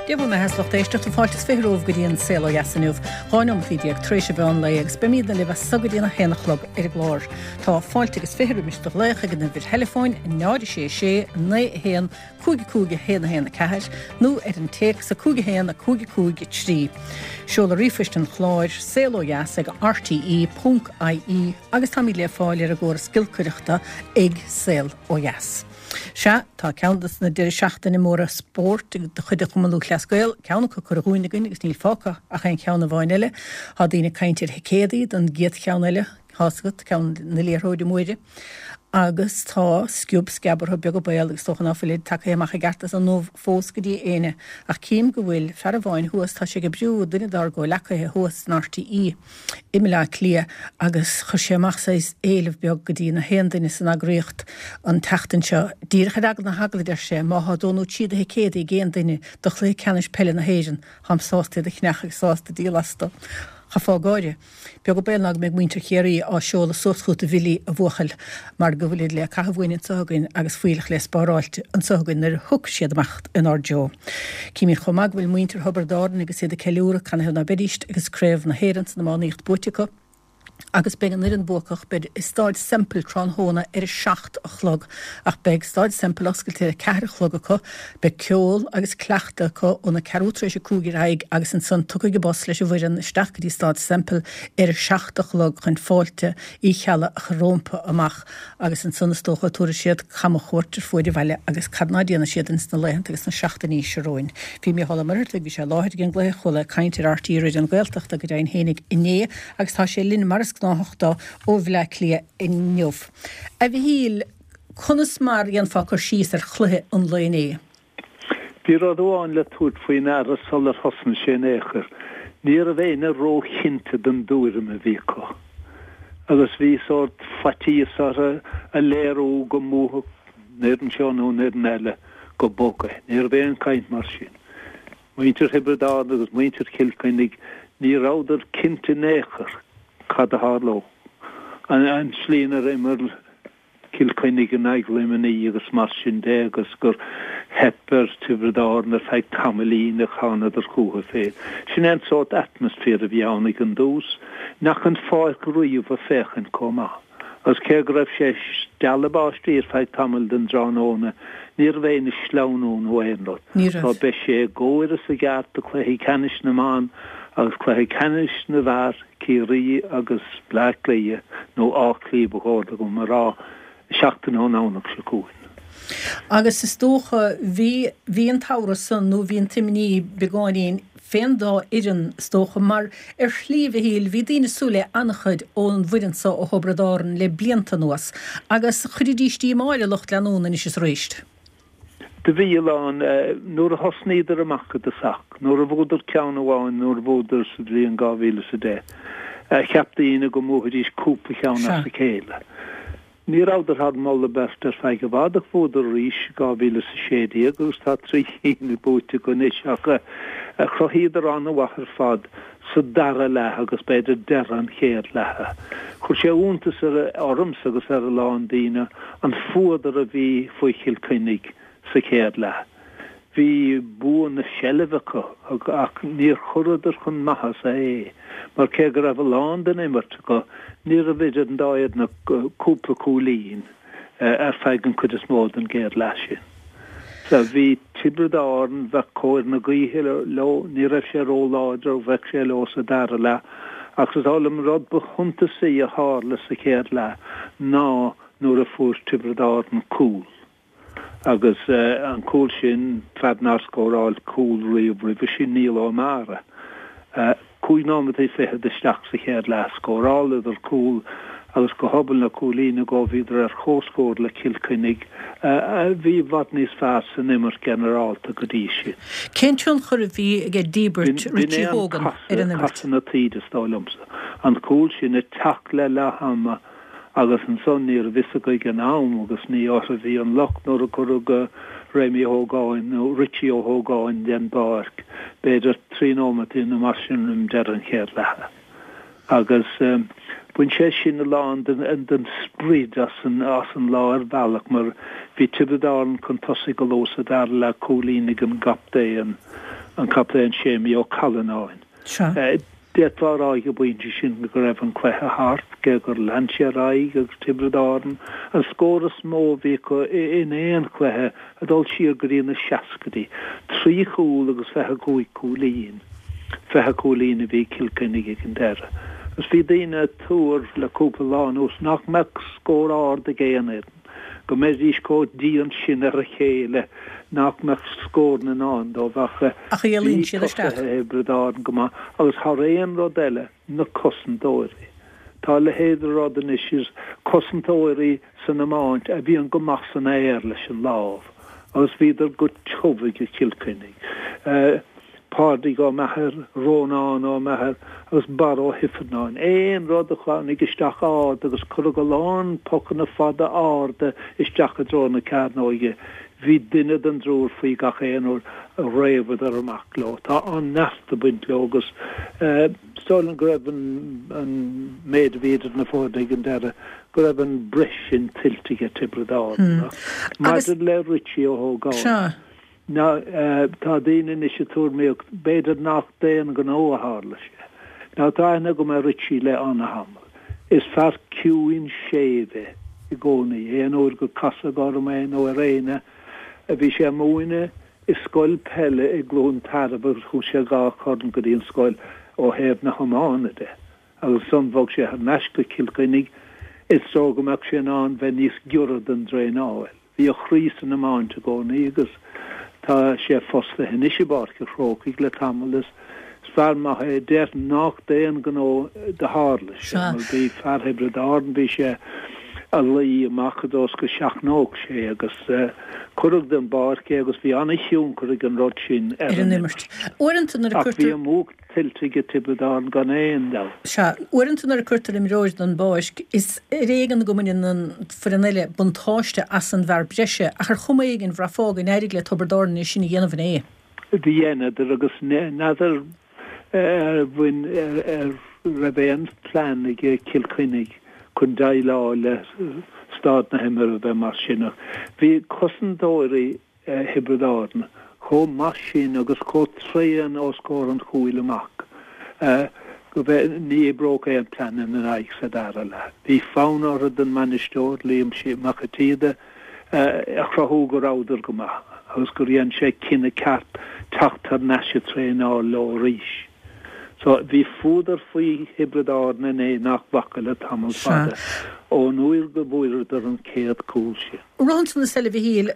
Dia bhur mbeatha is lucht éisteachta fáilte is 20 romhaibh go dtí an Saol Ó Dheas inniu, 12 nóimeataí tar éis an mheán lae agus beimídne libh as so go dtí an 1 a chlog ar an gclár. Tá fáilte agus 20 roimis do ghlaoch ag an uimhir theileafóin 0 6 6 9 1 5 5 1 1 4 nó ar an téacs 5 1 5 5 3. Seoladh ríomhphoist an chláir, saol ó dheas ag rte.ie agus táimid le fáil ar an gcóras giolcaireachta ag Saol Ó Dheas. Sea, tá ceann de na deireadh seachtaine móra spóirt de chuid an Chumann Lúthchleas Gael, ceann acu curtha dhúinn againn agus níl fágtha ach aon cheann amháin eile. Tá daoine ag caint ar thicéadaí don gcéad cheann eile, tá's agat, ceann na liathróide móire. Agus tá sciob sceab orthu beag an baol agus is dócha ná fuilid tagtha amach i gceart as an ubh fós go dtí éinne. Ach cím go bhfuil fear amháin thuas, tá sé ag oibriú, duine dár gcomhleacaithe thuas in RTÉ, i mBleá Cliath agus chuir sé amach saghas éileamh beag go dtí na haon duine san eagraíocht an tseachtain seo. Díreach ar eagla na heagla, a deir sé, má thá dó nó trí de thicéadaí ag aon duine do chluiche ceannais peile na hÉireann, táim sásta iad a cheannach agus sásta díol astu. Chaithfeá gáire. Beag an baol ná go mbeidh muintir Chiarraí á seoladh suas chugat a Bhilí, a bhuachaill, mar go bhfuilid le caitheamh uainn anso againn agus fuílleach le spáráilt anso againn nuair a thiocfaidh siad amach inár dtreo. Címid chomh maith go bhfuil muintir Thiobraid Árann agus iad ag ceiliúradh, canathaobh ná beidíst, agus Craobh na hÉireann san iománaíocht buaite acu, agus beidh an fhoireann buacach, beid i Stáid Semple tráthnóna ar a 7 a chlog, ach beidh Stáid Semple oscailte ar a 4 a chlog acu, beidh ceol agus cleachtadh acu óna ceathrú tar éis a 5 ar aghaidh agus ansan tiocfaidh an bus leis an bhfoireann isteach go dtí Stáid Semple ar a 7 a chlog chun fáilte Uí Cheallaigh a chur rómpa amach. Agus ansan is dócha tabharfaidh siad camchuairt ar fuaid an bhaile agus cad ná déanfaidh siad ins na laethanta agus na seachtainí seo romhainn. Bhí Mícheál Ó Muircheartaigh, bhí sé i láthair ag an gcluiche, chuala é ag caint ar RTÉ Raidió na Gaeltachta go deimhin fhéinig inné agus tá sé linn mar is gnáthach dó ó Bhleá Cliath inniu. A Mhichíl, conas mar a dhéanfá cur síos ar chluiche an lae inné? Bhí rud amháin le tabhairt faoi ndeara sular thosnaigh sé in aon chor, ní raibh éinne róchinnte den dtuairim a bhí acu. Agus bhí sórt faitíos orthu a léiriú go mbuafadh an fhoireann seo nó an fhoireann eile go bog é. Ní raibh aon chaint mar sin. Muintir Thiobraid Árann agus muintir Chill Chainnigh, ní rabhadar cinnte in aon chor cad a tharlódh. An tslí inar imir Cill Chainnigh in aghaidh Luimnigh agus mar sin de agus gur theip ar Tiobraid Árann ar feadh tamaillín ach thánadar chucu féin. Sin é an sórt atmaisféar a bhí ann ag an dtús, nach an pháirc riamh ag féachaint chomh maith. Agus cé go raibh sé stealladh báistí ar feadh tamaill den dtráthnóna, ní raibh éinne ag sleamhnú nó aon rud. Ní raibh. So beidh sé i gcóir is i gceart do chluichí ceannais na mban agus cluiche ceannais na bhfear. Ciarraí agus Bleá Cliath, nó Áth Cliath ba chóir dom a rá, seachtain ón nDomhnach seo chugainn. Agus is dócha, bhí, bhí an t-amhras san, nó bhí an t-imní beagáinín fén dá fhoireann, is dócha, mar ar shlí, a Mhichíl, bhí daoine ag súil le an-chuid ón bhfoireann so ó Thiobraid Árann le blianta anuas, agus chuiridís díomá ar a lucht leanúna anois is aríst. Do bhí a lán, nuair a thosnaíodar amach i dtosach, nuair a bhuadar ceann amháin, nuair a bhuadar sa bhliain 2010, cheap daoine go mbuafaidís cúpla ceann as a chéile. Ní rabhadar thar moladh beirte ar feadh i bhfad ach bhuadar arís i 2016 agus tá trí chinn buaite acu anois ach chruthaíodar an-mhaith ar fad sa dara leath agus b'fhéidir deireadh an chéad leatha. Chuir sé iontas ormsa agus ar a lán daoine an fuadar a bhí faoi Chill Chainnigh sa chéad leath. Bhí bua na seilbhe acu ach níor chuireadar chun maitheasa é mar cé go raibh a lán den imirt acu ní raibh idir an dá fhoireann ach cúpla cúilín. ar feadh an chuid is mó den gcéad leath sin. So bhí Tiobraid Árann, bheadh cóir na gaoithe leo, ní raibh sé ró-láidir ach bheadh sé leo sa dara leath. Ach is dóigh liom an rud ba shuntasaí a tharla sa chéad leath ná nuair a fuair Tiobraid Árann cúl. Agus an cúl sin, fear nár scóráil cúl riamh roimhe sin, Niall Ó Meára. 5 nóimeataí fichead isteach sa chéad leath, scóráladar cúl agus go hobann le cúilín acu bhíodar ar comhscór le Cill Chainnigh, a bhí i bhfad níos fearr san imirt ghinearálta go dtí sin. Cén tionchar a bhí aige díbirt Richie Hogan ar an imirt? Casadh na taoide is dóigh liomsa. An cúl sin ag teacht le leath ama Agus ansan ní raibh fhios acu ag an am agus ní orthu a bhí an locht nuair a cuireadh Réamaí Ó hÓgáin nó Richie Ó hÓgáin den bpáirc, b'fhéidir trí nóimeataí nó mar sin roim deireadh an chéad leatha. Agus bhain sé sin a lán den sprid as an lá ar bhealach mar bhí Tiobraid Árann chun tosaigh go luath sa dara leath, cúilín ag an gcaptaen. An Captaen Séimí Ó Callanáin. Sea. D'fhéadfá a rá ag an bpointe sin go raibh an cluiche thart, cé gur lean sé ar aghaidh agus Tiobraid Árann, an scór is mó a bhí acu in aon chluiche ag dul siar go dtí na seascaidí, 3 chúl agus 25 cúilín. 20 cúilín a bhí ag Cill Chainnigh ag an deireadh. Agus bhí daoine ag tuar le cúpla lá anuas nach mbeadh scór ard ag aon fhoireann. go mbeidís chomh dian sin ar a chéile nach mbeadh scóranna i ndán dóibh ach Ach a bhí éalaíonn siad isteach. tosaithe Thiobraid Árann go maith agus thar aon rud eile, na cosantóirí. Tá a leithéid de rud anois is cosantóirí san iomáint a bhíonn go maith san aer leis an lámh agus bhíodar go tiubh ag Cill Chainnigh. Pádraig Ó Meachair, Rónán Ó Meachair agus Barra Ó hIfearnáin. Aon rud a tháinig isteach ard agus cuireadh a lán pocanna fada arda isteach i dtreo na cearnóige, bhí duine den dtriúr faoi gach aon uair a réabadar amach leo. Tá an-neart ag baint leo agus is dóigh liom go raibh an méid a bhí idir na foirne ag an deireadh, go raibh an breis sin tuillte ag Tiobraid Árann. Ach maidir le Richie Ó hÓgáin, Now, tá daoine anois ag tuairmíocht, b'fhéidir nach d'aon ghnó a tharla sé. Now, tá aithne agam ar Richie le ana-thamall. Is fear ciúin séimh é i gcónaí. Aon uair gur casadh orm é nó ar éinne, bhí sé ag múineadh i scoil peile i gCluain Tarbh agus thug sé dha chorn go dtí an scoil ó thaobh na hiomána de. Agus ansan bhog sé thar n-ais go Cill Chainnigh is dóigh go mbeadh sé in ann bheith níos giorra don dtraenáil. Bhí a chroí san iomáint i gcónaí agus tá sé fostaithe anois i bPáirc an Chrócaigh le tamall. Is fear maith é. Déarfainn nach d'aon ghnó do tharla sé mar bhí fear Thiobraid Árann, bhí sé a luí amach i dtreo is go seachnódh sé agus cuireadh den bpáirc é agus bhí an-thionchar ag an rud sin ar an imirt. Uaireanta nuair a Ach bhí an bhuac tuillte ag Tiobraid Árann gan aon dabht. Sea, uaireanta nuair a cuirtear imreoir den bpáirc, is ar éigean go mbaineann an foireann eile buntáiste as an bhfear breise, ach ar chuma éigin, bhraithfeá go n-éirigh le Tiobraid Árann é sin a dhéanamh inné. Dheineadar agus n'fheadar ar bhain, ar raibh aon phlean ag Cill Chainnigh chun déileáil le staid na himeartha a bheith mar sin ach bhí cosantóirí Thiobraid Árann chomh maith sin agus chomh tréan os comhair an chúil amach go bhfe ní oibreodh aon plean ina n-aghaidh sa dara leath. Bhí fonn orthu don mbainisteoir, Liam Mac an tSíoda, a chruthú go rabhadar go maith agus gur dhein sé cinneadh ceart teacht thar n-ais ag traenáil leo arís. So, bhí fuadar faoi Thiobraid Árann inné nach bhfaca le tamall fada ón uair go bhfuaireadar an chéad chúl sin. Rud ansan is eile a Mhichíl,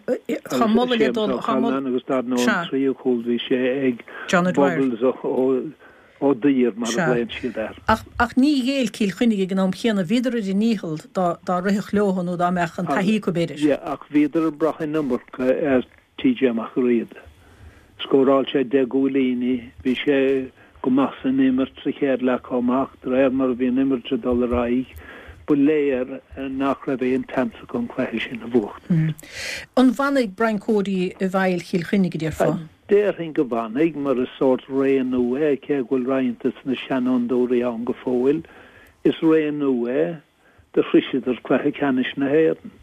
tá moladh le dul, tá moladh, agus dar ndóigh an tríú cúl bhí sé ag Bubbles Ó Duibhir mar a ghlaonn siad air. Ach, ach ní ghéill Cill Chainnigh ag an am chéanna, bhíodar ar a ndícheall dá, dá rithfeadh leo nó dá mbeadh an taithí acu b'fhéidir. Yeah, ach bhíodar ag brath an iomarca ar TJ Mac Riada. Scóráil sé 10 gcúilíní, bhí sé go maith san imirt sa chéad leath chomh maith ach de réir mar a bhí an imirt ag dul ar aghaidh, ba léir nach raibh aon tseans acu an cluiche sin a bhuachtaint. An bhfanfaidh Brian Cody i bhfeighil Chill Chainnigh, a déarfá? Déarfainn go bhfanfaidh, mar is sórt ré nua é, cé go bhfuil roinnt de na seanfhondúirí ann go fóill. Is ré nua é. Do shroiseadar cluiche ceannais na hÉireann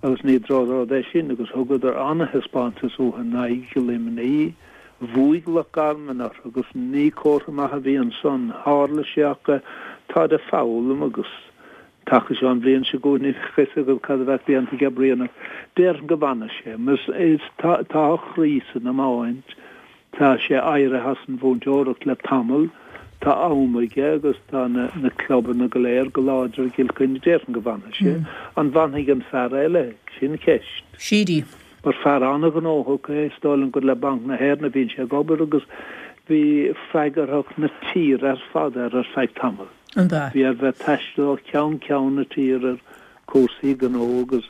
agus ní drochrud é sin agus thugadar an-thaispeántas uathu in aghaidh Luimnigh. Bhuaigh Loch Garman orthu agus ní comhartha maith a bhí ansan. Tharla sé ach táid ag foghlaim agus an taca seo an bhliain seo chugainn ní bheadh fhios agat cad a bheadh déanta ag Brian ach déarfainn go bhfanfaidh sé mar tá a chroí san iomáint. Tá sé éirithe as an mhúinteoireacht le tamall, tá am aige agus tá na clubanna go léir go láidir i gCill Chainnigh. Déarfainn go bhfanfaidh sé. An bhfanfaidh an fear eile? Sin ceist. Sheedy. Mar fear an-ghnóthach é, is dóigh liom gur le Banc na hÉireann a bhíonn sé ag obair agus bhí freagarthacht na tíre ar fad air ar feadh tamaill. An b'ea? Bhí air bheith ag taisteal ó cheann ceann na tíre ar chúrsaí gnó agus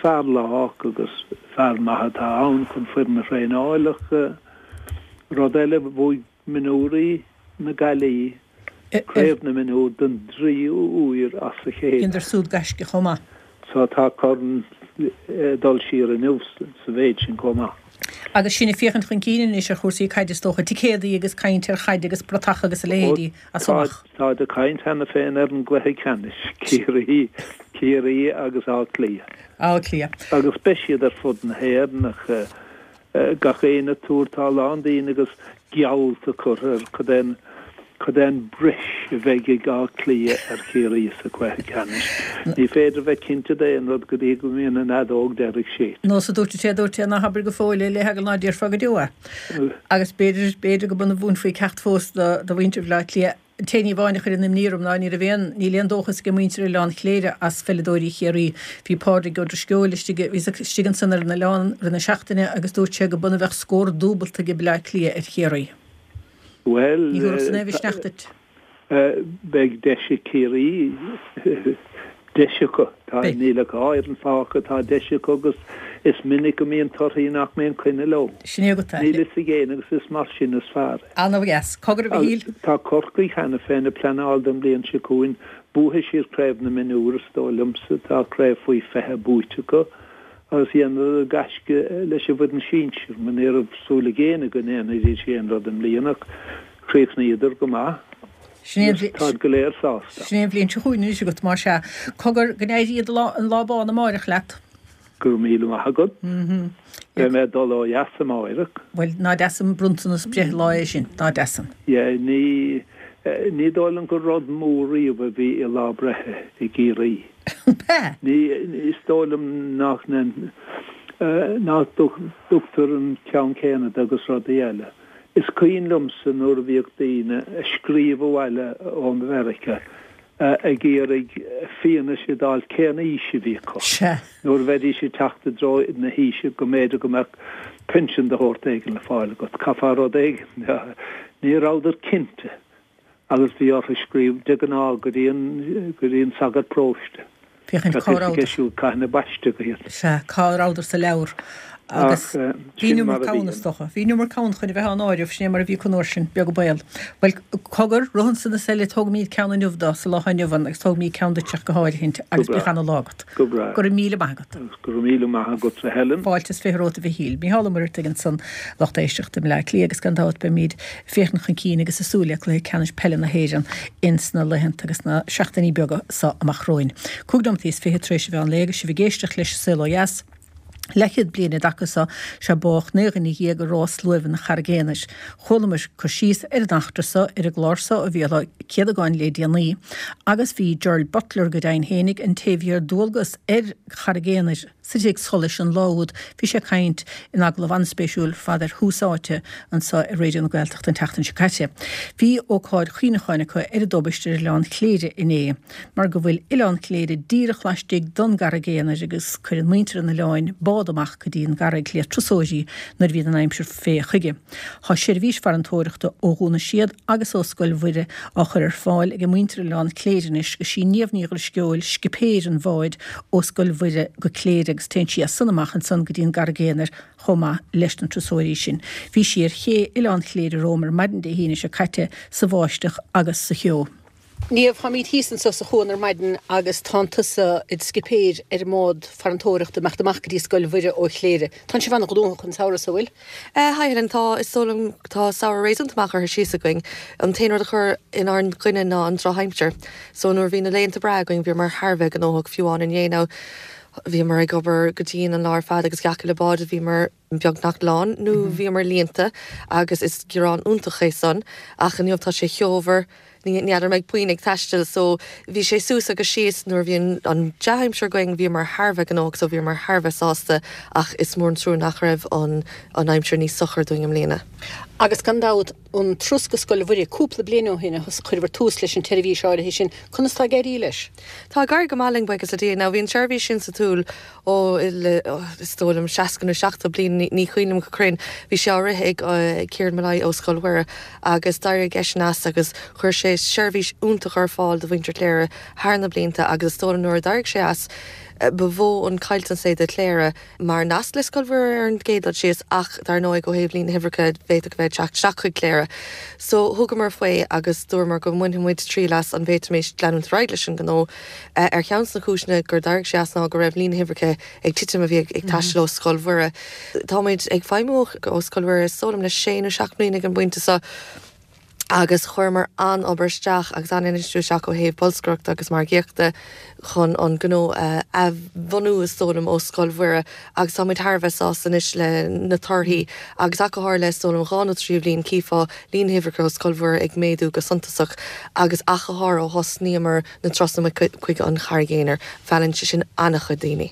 Fear lách agus fear maith atá ann chun foireann a thraenáil ach rud eile, bhuaigh mionúirí na Gaillimhe Craobh na Mionúr don dtríú huair as a chéile. Dheineadar súd gaisce chomh maith. So tá corn ag dul siar inniu sa mhéid sin chomh maith. Agus sinn ag féachaint chun cinn anois ar chúrsaí caide is dócha, ticéadaí agus caint ar chaid agus bratacha agus a leithéidí as so amach. Táid ag caint cheana féin ar an gcluiche ceannais, Ciarraí, Ciarraí agus Áth Cliath. Áth Cliath. Agus beidh siad ar fud na hÉireann ach. Gach éinne ag tuar, tá a lán daoine agus geallta curtha ar cad é an, cad é an breis a bheidh ag Áth Cliath ar Chiarraí sa chluiche ceannais. Ní féidir a bheith cinnte d'aon rud go dtí go mbíonn an fheadóg deiridh séidte. Nós a dúirt an té a dúirt é, ná habair go fóill é le heagla ná déarfá go deo é. Agus b'fhéidir, b'fhéidir go b'ionann a mhúinfí ceacht fós do, do mhuintir Bhaile Átha Cliath. An t-aon ní amháin a chuireann imní orm ná ní raibh aon, níl aon dóchas ag muintir Oileán Chléire as pheileadóirí Chiarraí. Bhí Pádraig Ó Drisceoil istigh, bhí istigh ansan ar an oileán rith na seachtaine agus dúirt sé go b'ionann a bheadh scór dúbalta ag Baile Átha Cliath ar Chiarraí. Bhuel, Ní thabharfadh san aon mhisneach duit. beidh deis ag Ciarraí, deis acu. Tá, níl ach dhá fhoireann fágtha, tá deis acu agus is minic go mbíonn torthaí nach mbíonn coinne leo. Sin é agat é. Níl fhios ag éinne agus is mar sin is fearr é. Ana-dheas. Cogar a Mhichíl. Tá Corcaigh cheana féin ag pleanáil don bhliain seo chugainn. Buafaidh siad Craobh na Mionúr, is dóigh liomsa. Tá craobh faoi 20 buaite acu agus dhéanadar gaisce leis an bhfoireann sinsir. Mar ní raibh súil ag éinne go ndéanfaidís aon rud i mbliana ach chríochnaíodar go maith. Sin é an bhli-. Táid go léir sásta. Sin é an bhliain seo chugainn anois agat, más ea. Cogar, go n-éirí an lá bán amáireach leat. Go raibh míle maith agat. Beidh mé ag dul ó dheas amáireach. Bhuel, ná deas an bronntanas breithlá é sin, ná deas an. Yeah, ní, ní dóigh liom gur rud mór riamh a bhí i lá breithe i gCiarraí. B'ea? Ní, is dóigh liom nach, nach dtugtar an ceann céanna de agus rudaí eile. Is cuimhin liomsa nuair a bhíodh daoine ag scríobh abhaile ó Mheiriceá ag iarraidh fianaise d'fháil cén aois a bhí acu. Sea. Nuair a bheidís ag teacht i dtreo na haoise go mb'fhéidir go mbeadh pinsean de shórt éigin le fáil agat. Chaithfeá rud éigin. Ní rabhadar cinnte. Agus bhí orthu scríobh, de ghnáth, go dtí an, go dtí an sagart paróiste. Féachaint cá rabhadar. Bheadh fhios aige siúd cathain a baisteadh iad. Sea, cá rabhadar sa leabhar. Agus bhí an iomarca ann, is dócha. Bhí an iomarca ann chun a bheith á n-áireamh, sin é mar a bhí acu an uair sin, beag an baol. Bhuel, cogar, rith ansan is eile, tógfaimid ceann inniu dó, sa lá atá inniu ann, agus tógfaimid ceann duit ach go háirithint, agus bíodh ana-lá agat. Go breá. Go raibh míle maith agat. Agus go raibh míle maith agatsa Helen. Fáilte is 20 romhat a Mhichíl. Micheál Ó Muircheartaigh ansan, lucht éisteachta i mBleá Cliath agus gan dabht beimid ag féachaint chun cinn agus ag súil le Cluiche Ceannais Peile na hÉireann ins na laethanta agus na seachtainí beaga so amach romhainn. Cúig nóimeataí is fiche tar éis an mheán lae agus sibh ag éisteacht leis An Saol Ó Dheas. Leathchéad bliain i dtaca so 'sea bádh 19 dhuine i rás luaimhe an Charraig Aonair. Chualamar cur síos ar an eachtra so ar an gclár so ó Mhícheál Ó Céadagáin le déanaí agus bhí Gerald Butler go deimhin fhéinig, an té a bhí ar dualgas ar Charraig Aonair sa tigh solais an lá úd, bhí sé ag caint in agallamh an-spéisiúil ar fad ar Thús Áite anso ar Raidió na Gaeltachta an tseachtain seo caite. Bhí ócáid chuimhneacháin acu ar an dtubaist ar Oileán Chléire inné. mar go bhfuil Oileán Chléire díreach laistigh don gCarraig Aonair agus cuireann muintir an oileáin bád amach go dtí an gcarraig le turasóirí nuair a bhíonn an aimsir fé chuige. Tá seirbhís farantóireachta ó Dhún na Séad agus ó Scoil Mhuire á chur ar fáil ag muintir Oileán Chléire anois agus sí Niamh Ní Dhrisceoil scipéir an bháid ó Scoil Mhuire go Cléire agus téann sí as san amach ansan go dtí an gCarraig Aonair chomh maith leis na turasóirí sin. Bhí sí ar ché Oileán Chléire romham ar maidin Dé hAoine seo caite sa bháisteach agus sa cheo. Niamh, táimid thíos anso sa chuan ar maidin agus tánn tusa id scipéir ar an mbád farantóireachta ag imeacht amach go dtí Scoil Mhuire ó Chléire. Tánn sibh an-ghnóthach an samhradh so, bhfuil? Hi Helen, tá, is dóigh liom, tá samhradh réasúnta maith curtha síos againn. An t-aon rud a chuir inár gcoinne ná an drochaimsir. So nuair a bhí na laethanta breá againn bhíomar thar a bheith gnóthach, fiú amháin inné now bhíomar ag obair go dian an lá ar fad agus gach uile bád bhíomar beagnach lán nó bhíomar líonta agus is gearán iontach é san ach inniu tá sé ceomhar, ní n'fheadar an mbeidh puinn ag taisteal so bhí sé suas agus síos nuair a bhí an dea-aimsir againn bhíomar thar a bheith gnóthach so bhíomar thar a bheith sásta ach is mór an trua nach raibh an an aimsir níos socair dúinn i mbliana. Agus gan dabht an turas go Scoil Mhuire cúpla bliain ó shin a chuireabhair tús leis an tseirbhís áirithe sin, conas tá ag éirí leis? Tá ag éirí go maith linn buíochas le Dia. Now bhí an tseirbhís sin sa tsiúl Ó, is dóigh liom 60 nó 70 bliain, ní cuimhin liom go cruinn. Bhí sé á rith ag Kieran Molloy ó Scoil Mhuire agus d'éirigh eisean as agus chuir sé seirbhís iontach ar fáil do mhuintir Chléire thar na blianta agus is dóigh liom nuair a d'éirigh sé as ba mhó an caillteanas é do Chléire mar nasc le Scoil Mhuire ar an gcéad dul síos ach dar ndóigh ó thaobh líon na huimhreacha bhféadfadh a bheith ag teacht isteach chuig Cléire. So thugamar faoi agus dúramar go mbainfeadh muid triail as an bhféadfaimis leanúint ar aghaidh leis an ngnó. Ar cheann de na cúiseanna gur d'éirigh sé as ná go raibh líon na huimhreacha ag titim a bhí ag taisteal ó Scoil Mhuire. Táimid ag feidhmiú ó Scoil Mhuire is dóigh liom le sé nó seacht mbliana ag an bpointe seo. Agus chuireamar an-obair isteach agus an-infheistiú isteach ó thaobh bolscaireachta agus margaíochta chun an gnó a athbhunú, is dóigh liom, ó Scoil Mhuire agus tá muid thar a bheith sásta anois le na torthaí agus ach go háirithe le, is dóigh liom, dhá nó trí bhliain chífeá líon na huimhreacha ó Scoil Mhuire ag méadú go suntasach agus ach go háirithe ó thosnaíomar na turasanna chuig an Charraig Aonair, mheallann sé sin an-chuid daoine.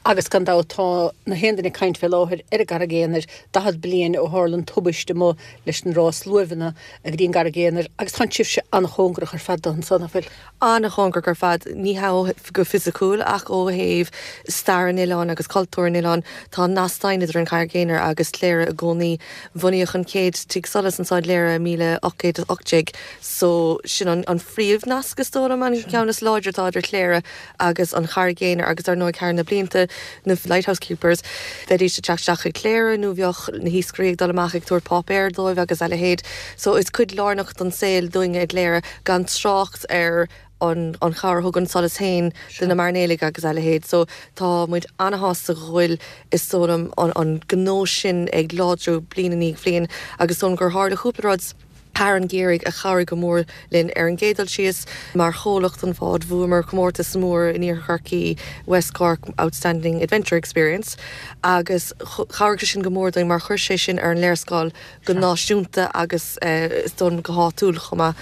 Agus gan dabht tá na haon duine ag caint fé láthair ar an gCarraig Aonair, 40 bliain ó tharla an tubaiste amuigh leis an rás luaimheanna go dtí an gCarraig Aonair agus tánn sibhse an-chóngarach ar fad dó ansan, nach bhfuil? An-chóngarach ar fad, ní hea ó go fisiciúil ach ó thaobh stair an oileáin agus cultúr an oileáin. Tá nasc daingean idir an Charraig Aonair agus Cléire i gcónaí. Bunaíodh an chéad tigh solais anso i gCléire i 1818 so sin an phríomh-nasc is dóigh liom, an ceann is láidre atá idir Cléire agus an Charraig Aonair agus dar ndóigh thar na blianta na lighthouse keepers bheidís ag teacht isteach chuig Cléire nó bheadh na hiascairí ag dul amach ag tabhairt páipéir dóibh agus a leithéid so is cuid lárnach don saol dúinne i gCléire gan trácht ar an an chabhair a thug an solas féin do na mairnéalaigh agus a leithéid so tá muid ana-shásta go bhfuil is dóigh liom an an gnó sin ag láidriú bliain i ndiaidh bhliain agus is dóigh liom gur tharla cúpla rud thar an gheimhreadh a chabhraigh go mór linn. Ar an gcéad dul síos, mar chomhlacht an bháid, bhuamar comórtas mór in Iarthar Chorcaí, West Cork Outstanding Adventure Experience, agus chabhraigh sé sin go mór dúinn mar chuir sé sin ar an léarscáil go náisiúnta agus is dóigh liom go háitiúil chomh maith.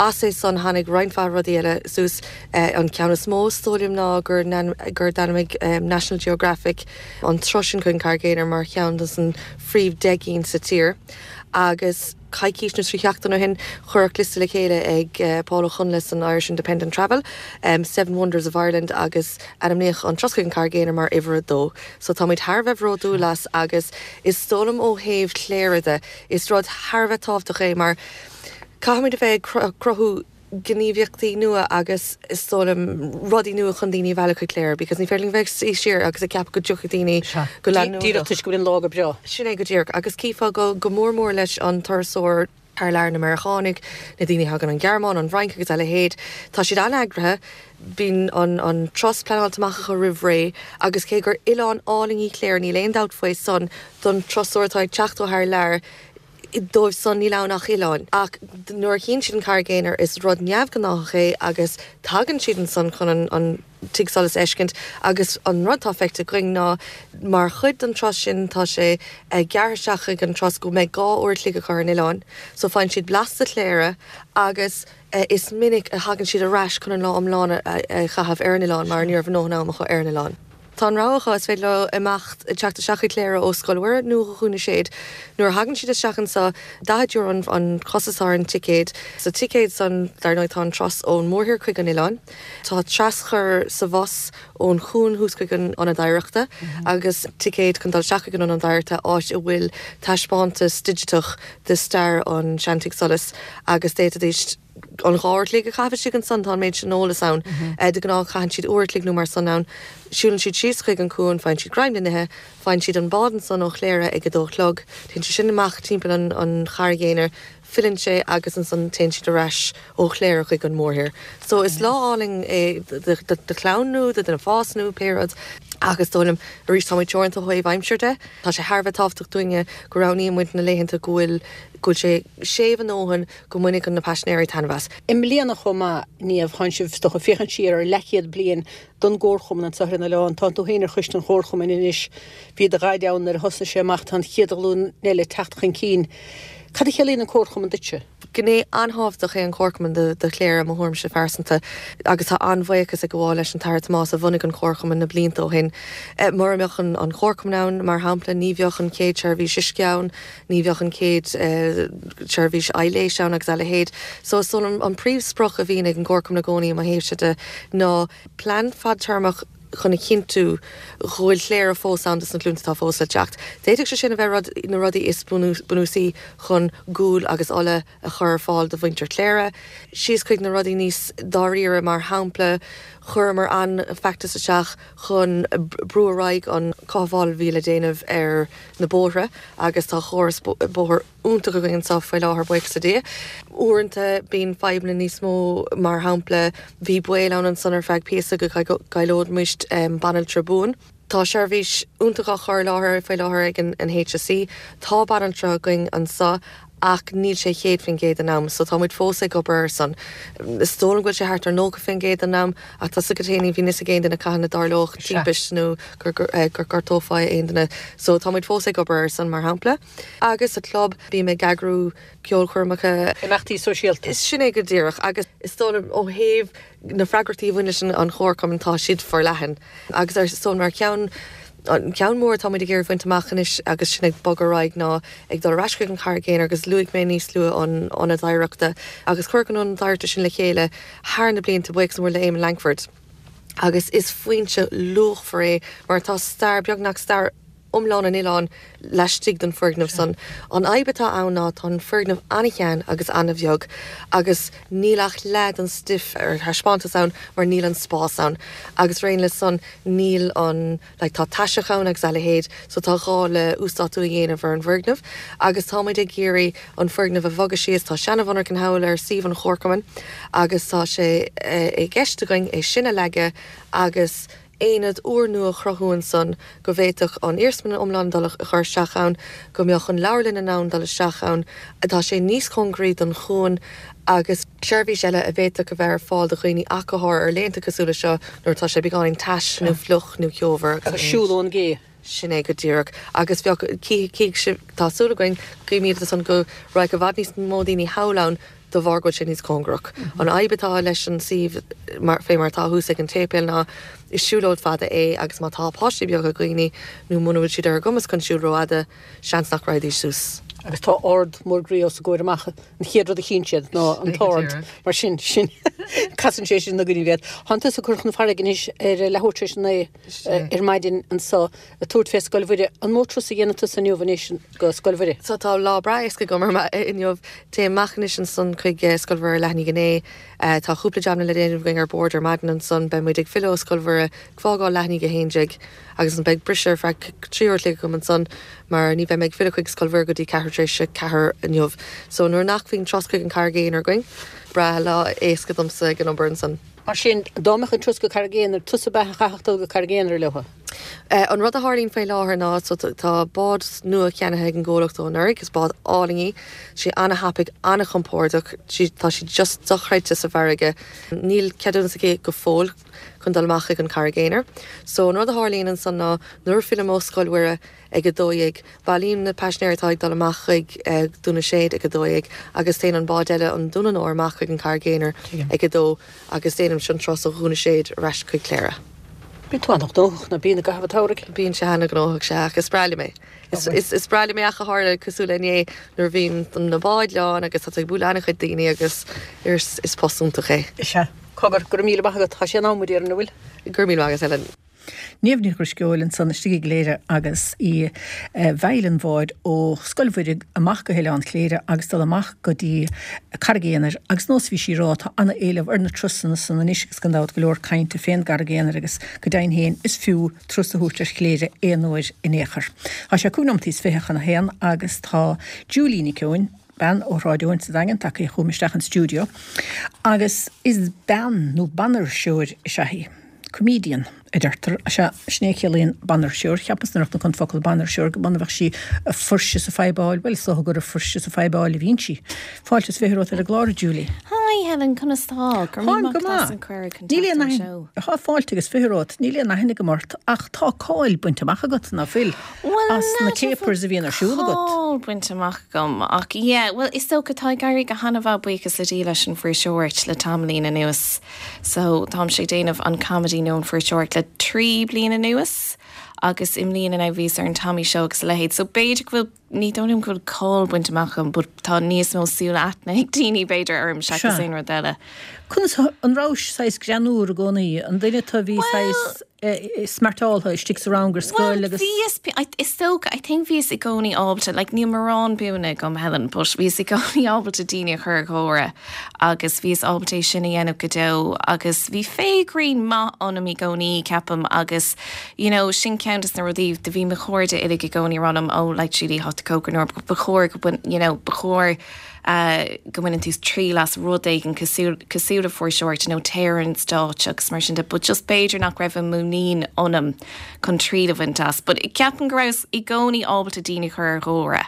As é san tháinig roinnt mhaith rudaí eile suas. An ceann is mó is dóigh liom ná gur gur d'ainmnigh National Geographic an turas sin chuig an Charraig Aonair mar cheann de na phríomh 10 gcinn sa tír agus Coicís nó 3 sheachtain ó shin, cuireadh liosta le chéile ag Paul Ó Chonghais san Irish Independent Travel, Seven Wonders of Ireland agus ainmníodh an turas chuig an Charraig Aonair mar uimhir a dó. So táimid thar a bheith bhródúil as agus is dóigh liom ó thaobh Chléire de, is rud thar a bheith tábhachtach é mar caithfimid a bheith ag cruthú gníomhaíochtaí nua agus is dóigh liom rudaí nua chun daoine a mhealladh chuig Cléire because ní féidir linn bheith ag suí siar agus ag ceapadh go dtiocfaidh daoine go leanúnach. Díreach toisc go bhfuil an lá go breá. Sin é go díreach agus chífeá go go mór mór leis an turasóir thar lear, na Meiriceánaigh, na daoine a thagann ón Ghearmáin, an Fhrainc agus a leithéid. Tá siad an-eagraithe, bíonn an an turas pleanáilte amach acu roimh ré agus cé gur oileán álainn í Cléire, níl aon dabht faoi san, don turasóir atá ag teacht ó thar lear, Dóibh san níl ann ach oileán. Ach nuair a chíonn siad an Charraig Aonair is rud neamhghnáthach é agus tagann siad ansan chun an tigh solais a fheiscint agus an rud atá feicthe againn ná mar chuid den turas sin tá sé gearrtha isteach chuig an turas go mbeidh 2 uair a chloig acu ar an oileán so faigheann siad blas de Chléire agus is minic a thagann siad ar ais chun an lá iomlán a chaitheamh ar an oileán mar ní raibh a ndóthain am acu ar an oileán. Tá an rogha acu, is féidir leo imeacht, teacht isteach chuig Cléire ó Scoil Mhuire nó ó Dhún na Séad. Nuair a thagann siad isteach anseo, €40 an costas atá ar an ticéad. Sa ticéad san, dar ndóigh, tá an turas ón mórthír chuig an oileán. Tá traschur sa bhus ón chuan thuas chuig an Ionad Oidhreachta agus ticéad chun dul isteach chuig an Ionad Oidhreachta, áit a bhfuil taispeántas digiteach de stair an seantigh solais agus d'fhéadfaidís an 2 uair a chloig a chaitheamh istigh ansan, tá an méid sin eolas ann. De ghnáth caitheann siad uair a chloig nó mar san ann. Siúlann siad síos chuig an cuan, faigheann siad greim le n-ithe, faigheann siad an bád ansan ó Chléire ag a dó a chlog, téann sé sin amach timpeall an an Charraig Aonair, filleann sé agus ansan téann siad ar ais ó Chléire chuig an mórthír. So is lá álainn é do chlann nó do dhuine fásta nó pé rud ach is dóigh liom arís tá muid teoranta ó thaobh aimsir de. Tá sé thar a bheith tábhachtach dúinne go roghnaíonn muid na laethanta go bhfuil go bhfuil sé séimh a ndóthain go mbainfidh na paisinéirí taitneamh as. I mbliana chomh maith, Niamh, tánn sibh is dócha ag féachaint siar ar leathchéad bliain don gComharchumann anseo ar an oileán. Tánn tú féin ar choiste an Chomharchumainn anois. Bhí do dhaid ann nuair a thosnaigh sé amach, tá an chéad ghlúin eile ag teacht chun cinn. Cad a chiallaíonn an Comharchumann duitse? Gné an-thábhachtach é an Comharchumann do Chléire, i mo thuairimse phearsanta, agus tá an-bhuíochas ag gabháil leis an tAire Tomás a bhunaigh an Comharchumann na blianta ó shin. Mura mbeadh an Comharchumann ann, mar shampla, ní bheadh an chéad seirbhís uisce ann, ní bheadh an chéad seirbhís aithléis ann agus a leithéid. So is dóigh liom an príomhsprioc a bhíonn ag an gComharchumann i gcónaí i mo thaobhse de ná plean fadtéarmach chun a chinntiú go bhfuil Cléire fós ann dos na glúnta atá fós le teacht. D'fhéadfadh sé sin a bheith rud, na rudaí is bunúsaí chun gual agus ola a chur ar fáil do mhuintir Chléire, síos chuig na rudaí níos dáiríre, mar shampla chuireamar an-fheachtas isteach chun brú ar aghaidh an cothabháil a bhí le déanamh ar na bóithre agus tá córas bóthair iontach againn anseo faoi láthair, buíochas le Dia. Uaireanta bíonn fadhbanna níos mó, mar shampla bhí baol ann ansan ar feadh píosa go gcaillfeadh muid banaltra buan. Tá seirbhís iontach á chur i láthair faoi láthair ag an HSE. Tá banaltra againn anseo. Ach níl sé 100% den am, so tá muid fós ag obair air san. Is dóigh liom go bhfuil sé thart ar 90% den am, ach tá 's agat féin, ní bhíonn fhios ag aon duine cathain a dtarlódh timpist nó gur gortófaí aon duine. So tá muid fós ag obair air san, mar shampla. Agus sa chlub, bím ag eagrú ceolchoirmeacha. Imeachtaí sóisialta. Sin é go díreach. Agus is dóigh liom ó thaobh na freagrachtaí a bhain leis an chomharchumann, tá siad forleathan. Agus ar son mar cheann, an ceann mór atá muid ag iarraidh bhaint amach anois agus sinn ag bogadh ar aghaidh ná ag dul ar ais chuig an Charraig Aonair agus luaigh mé níos luaithe an Ionad Oidhreachta agus cuireadh an Ionad Oidhreachta sin le chéile thar na blianta, buíochas mór le Éamon Lankford agus is foinse luachmhar é mar tá stair, beagnach stair iomlán an oileáin laistigh den foirgneamh san. An fhadhb atá ann ná tá an foirgneamh an-shean agus an-bheag agus níl ach leath den stuif ar thaispeántas ann mar níl an spás ann agus mar aon le san níl an like tá taiseach ann agus a leithéid so tá gá le uasdátú a dhéanamh ar an bhfoirgneamh agus tá muid ag iarraidh an foirgneamh a bhogadh síos. Tá seana-mhonarchan thall ar suíomh an chomharchumainn agus tá sé i gceist againn é sin a leagadh agus aonad úrnua a chruthú ansan go bhféadfadh an iarsmalann iomlán dul a chur isteach ann, go mbeadh an leabharlann in ann dul isteach ann, tá sé níos cóngaraí don chuan agus seirbhís eile a bhféadfadh a bheith ar fáil do dhaoine ach go háirithe ar laethanta cosúil le seo nuair atá sé beagáinín tais nó fliuch nó ceomhar agus. Agus siúl ón gcé. Sin é go díreach. Agus bheadh, cífidh sibh, tá súil againn, guímid ansan go raghadh i bhfad níos mó daoine thall ann de bharr go bhfuil sé níos cóngarach. An fhadhb atá leis an suíomh mar, fé mar atá thuas ag an tséipéal ná is siúlóid fada é agus má tá páistí beaga ag dhaoine nó muna bhfuil siad ar a gcumas chun siúl rófhada, seans nach raghaidís suas. Agus tá ard mór groí os a gcomhair amach, an chéad rud a chíonn siad ná an t-ard, mar sin, sin, casann sé sin na gcoinní iad. Tánn tusa ag cur chun farraige anois ar leathuair tar éis a naoi ar maidin anso. Ag tabhairt fé Scoil Mhuire. An mó turas a dhéanann tusa inniu anois go Scoil Mhuire? So tá lá breá éasca agam ar inniu. Téim amach anois ansan chuig Scoil Mhuire leath i ndiaidh a naoi. Tá cúpla jabanna le déanamh againn ar bord ar maidin ansan. Beidh muid ag filleadh ó Scoil Mhuire ag fágáil leath i ndiaidh a haon déag agus ansan beidh briseadh ar feadh 3 uair a chloig agam ansan mar ní bheidh mé ag filleadh chuig Scoil Mhuire go dtí ceathrú tar éis a ceathair inniu. So nuair nach bhíonn turas chuig an Charraig Aonair againn, breá lá éasca domsa ag an obair ansan. Mar sin, dá mbeadh an turas go Carraig Aonair, tusa ab ea a chaithfeadh dul go Carraig Aonair leo? An rud a tharlaíonn faoi láthair ná so tá bád nua ceannaithe ag an gcomhlacht ó anuraidh, is bád álainn í, sí an-thapaidh, an-chompordach, tá sí just dochreidte sa bhfarraige. Níl ceadúnas aici go fóill chun dul amach chuig an Charraig Aonair. So an rud a tharlaíonn ansan ná nuair a phillim ó Scoil Mhuire ag 12, bailím na paisinéirí atá ag dul amach chuig Dún na Séad ag 12 agus téann an bád eile, an Dún an Óir, amach chuig an Charraig Aonair ag 2. Agus déanaimse an turas ó Dhún na Séad ar ais chuig Cléire. Bíonn tú an-ghnóthach, ná bíonn, i gcaitheamh an tsamhraidh? Bíonn sé an-ghnóthach, sea, ach is breá liom é. Is breá liom é ach go háirithe cosúil le inné nuair a bhíonn na báid lán agus tá tú ag bualadh an-chuid daoine agus is post iontach é. Is ea. Cogar, go raibh míle maith agat. Tá sé in am, a déarfainn, an bhfuil? Go raibh míle maith agat, Helen. Niamh Ní Dhrisceoil ansan istigh i gCléire agus í ag feidhil an bháid ó Scoil Mhuire amach go hOileán Chléire agus dul amach go dtí Carraig Aonair agus nós a bhí sí ag rá tá ana éileamh ar na turasanna san anois agus gan dabht go leor cainte fén gCarraig Aonair agus go deimhin féin is fiú turas a thabhairt ar Chléire aon uair in aon chor. Tá sé cúig nóimeataí is 20 chun a haon agus tá Julie Nic Eoin, bean ó Shráid Eoin sa Daingean tagtha chugam isteach an stiúideo agus is bean nó banfhuirseoir is ea í. Comedian, a deirtear. Sea, sin é a chiallaíonn banfhuirseoir. Cheapas nuair a chonaic an focal banfhuirseoir go mb'ionann bheadh sí ag fuirse is ag fadhbáil. Bhuel, is dócha gur ag fuirse is ag fadhbáil a bhíonn sí. Fáilte is 20 romhat ar an gclár, a Julie. Hi Helen, conas tá? Go raibh míle Táim maith go agat as maith. an cuireadh chun Níl teacht aon ar an aithne, seó. Tá fáilte agus 20 romhat. Níl aon aithne agam ort ach tá cáil bainte amach agat, ná fuil? Bhuel, As na n'fheadar an bhfuil capers a bhíonn ar siúl agat. cáil bainte amach agam ach yeah, bhuel is dócha tá ag éirí go han-mhaith buíochas le Dia leis an bhfuirseoireacht le tamaillín anuas. So, táimse ag déanamh an comedy nó an fuirseoireacht le 3 bliain anuas agus i mbliana now bhíos ar an Tommy Show agus a leithéid. So b'fhéidir go bhfuil, ní dóigh liom go bhfuil cáil bainte amach agam but tá níos mó súil aithne ag daoine b'fhéidir orm seachas Sea. aon rud eile. Conas, an rabhais saghas greannúr i gcónaí? An duine tú a bhí saghas smeartáltha istigh sa rang ar scoil Bhuel, agus. bhíos, is dócha, I think bhíos i gcónaí ábalta, like níl mórán buanna agam Helen, but bhíos i gcónaí ábalta daoine a chur ag gáire agus bhíos ábalta é sin a dhéanamh go deo agus bhí féith grinn maith ionam i gcónaí, ceapaim, agus you know sin ceann des na rudaí, do bhí mo chairde uilig i gcónaí ag rá liom, oh like Julie, tá tú chomh greannmhar, ba chóir go mbain, you know, ba chóir go mbaineann tú triail as rud éigin cosúil, cosúil le fuirseoireacht nó téir ar an stáitse agus mar sin de but just b'fhéidir nach raibh an muinín ionam chun triail a bhaint as. But ceapaim go rabhas i gcónaí ábalta daoine a chur ar gáire.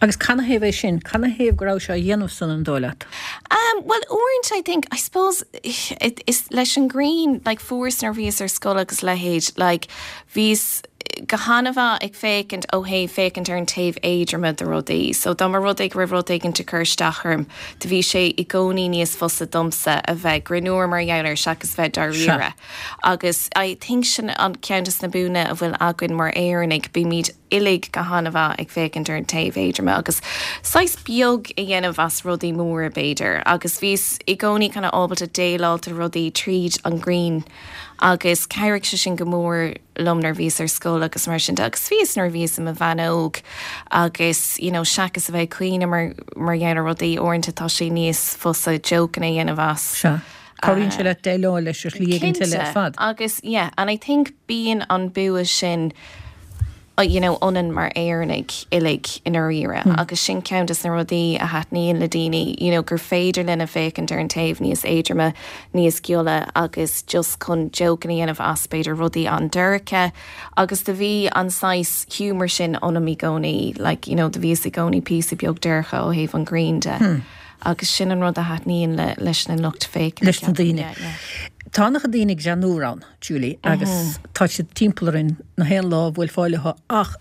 Agus canathaobh é sin? Canathaobh go rabhais á dhéanamh san, an dóigh leat? Um, bhuel, uaireanta, I think, I suppose, is leis an ngreann, like, fuaireas nuair a bhíos ar scoil agus a leithéid, like, bhíos go han-mhaith ag féachaint ó thaobh féachaint ar an taobh éadroime de rudaí. So dá mba rud é go raibh rud éigin ag cur isteach orm, do bhí sé i gcónaí níos fusa domsa a bheith greannmhar mar gheall air seachas bheith dáiríre. Agus I think sin an ceann des na buanna a bhfuil againn mar Éireannaigh, bímid uilig go han-mhaith ag féachaint ar an taobh éadroime agus saghas beag a dhéanamh as rudaí móra b'fhéidir. Agus bhíos i gcónaí kind of ábalta déileáil le rudaí tríd an ngreann agus chabhraigh sé sin go mór liom nuair a bhíos ar scoil agus mar sin de agus bhíos nuair a bhíos i mo bhean óg agus you know seachas a bheith ag caoineadh mar mar gheall ar rudaí uaireanta tá sé níos fusa jokeanna a dhéanamh as. Sea. Cabhraíonn sé leat déileáil leis ar shlí éigin eile ar fad. Cinnte agus yeah and I think bíonn an bua sin you know ionainn mar Éireannaigh uilig i ndáiríre agus sin ceann des na rudaí a thaitníonn le daoine you know gur féidir linne féachaint ar an taobh níos éadroime, níos gile agus just chun jokeanna a dhéanamh as b'fhéidir rudaí an-dorcha agus do bhí an saghas humour sin ionam i gcónaí like you know do bhíos i gcónaí píosa beag dorcha ó thaobh an ghrinn de agus sin an rud a thaitníonn le leis na lucht féachana Leis na daoine. Yeah, yeah. Tá an-chuid daoine greannmhar ann. Julie, agus tá siad timpeall orainn na haon lá a bhuailfeá leo ach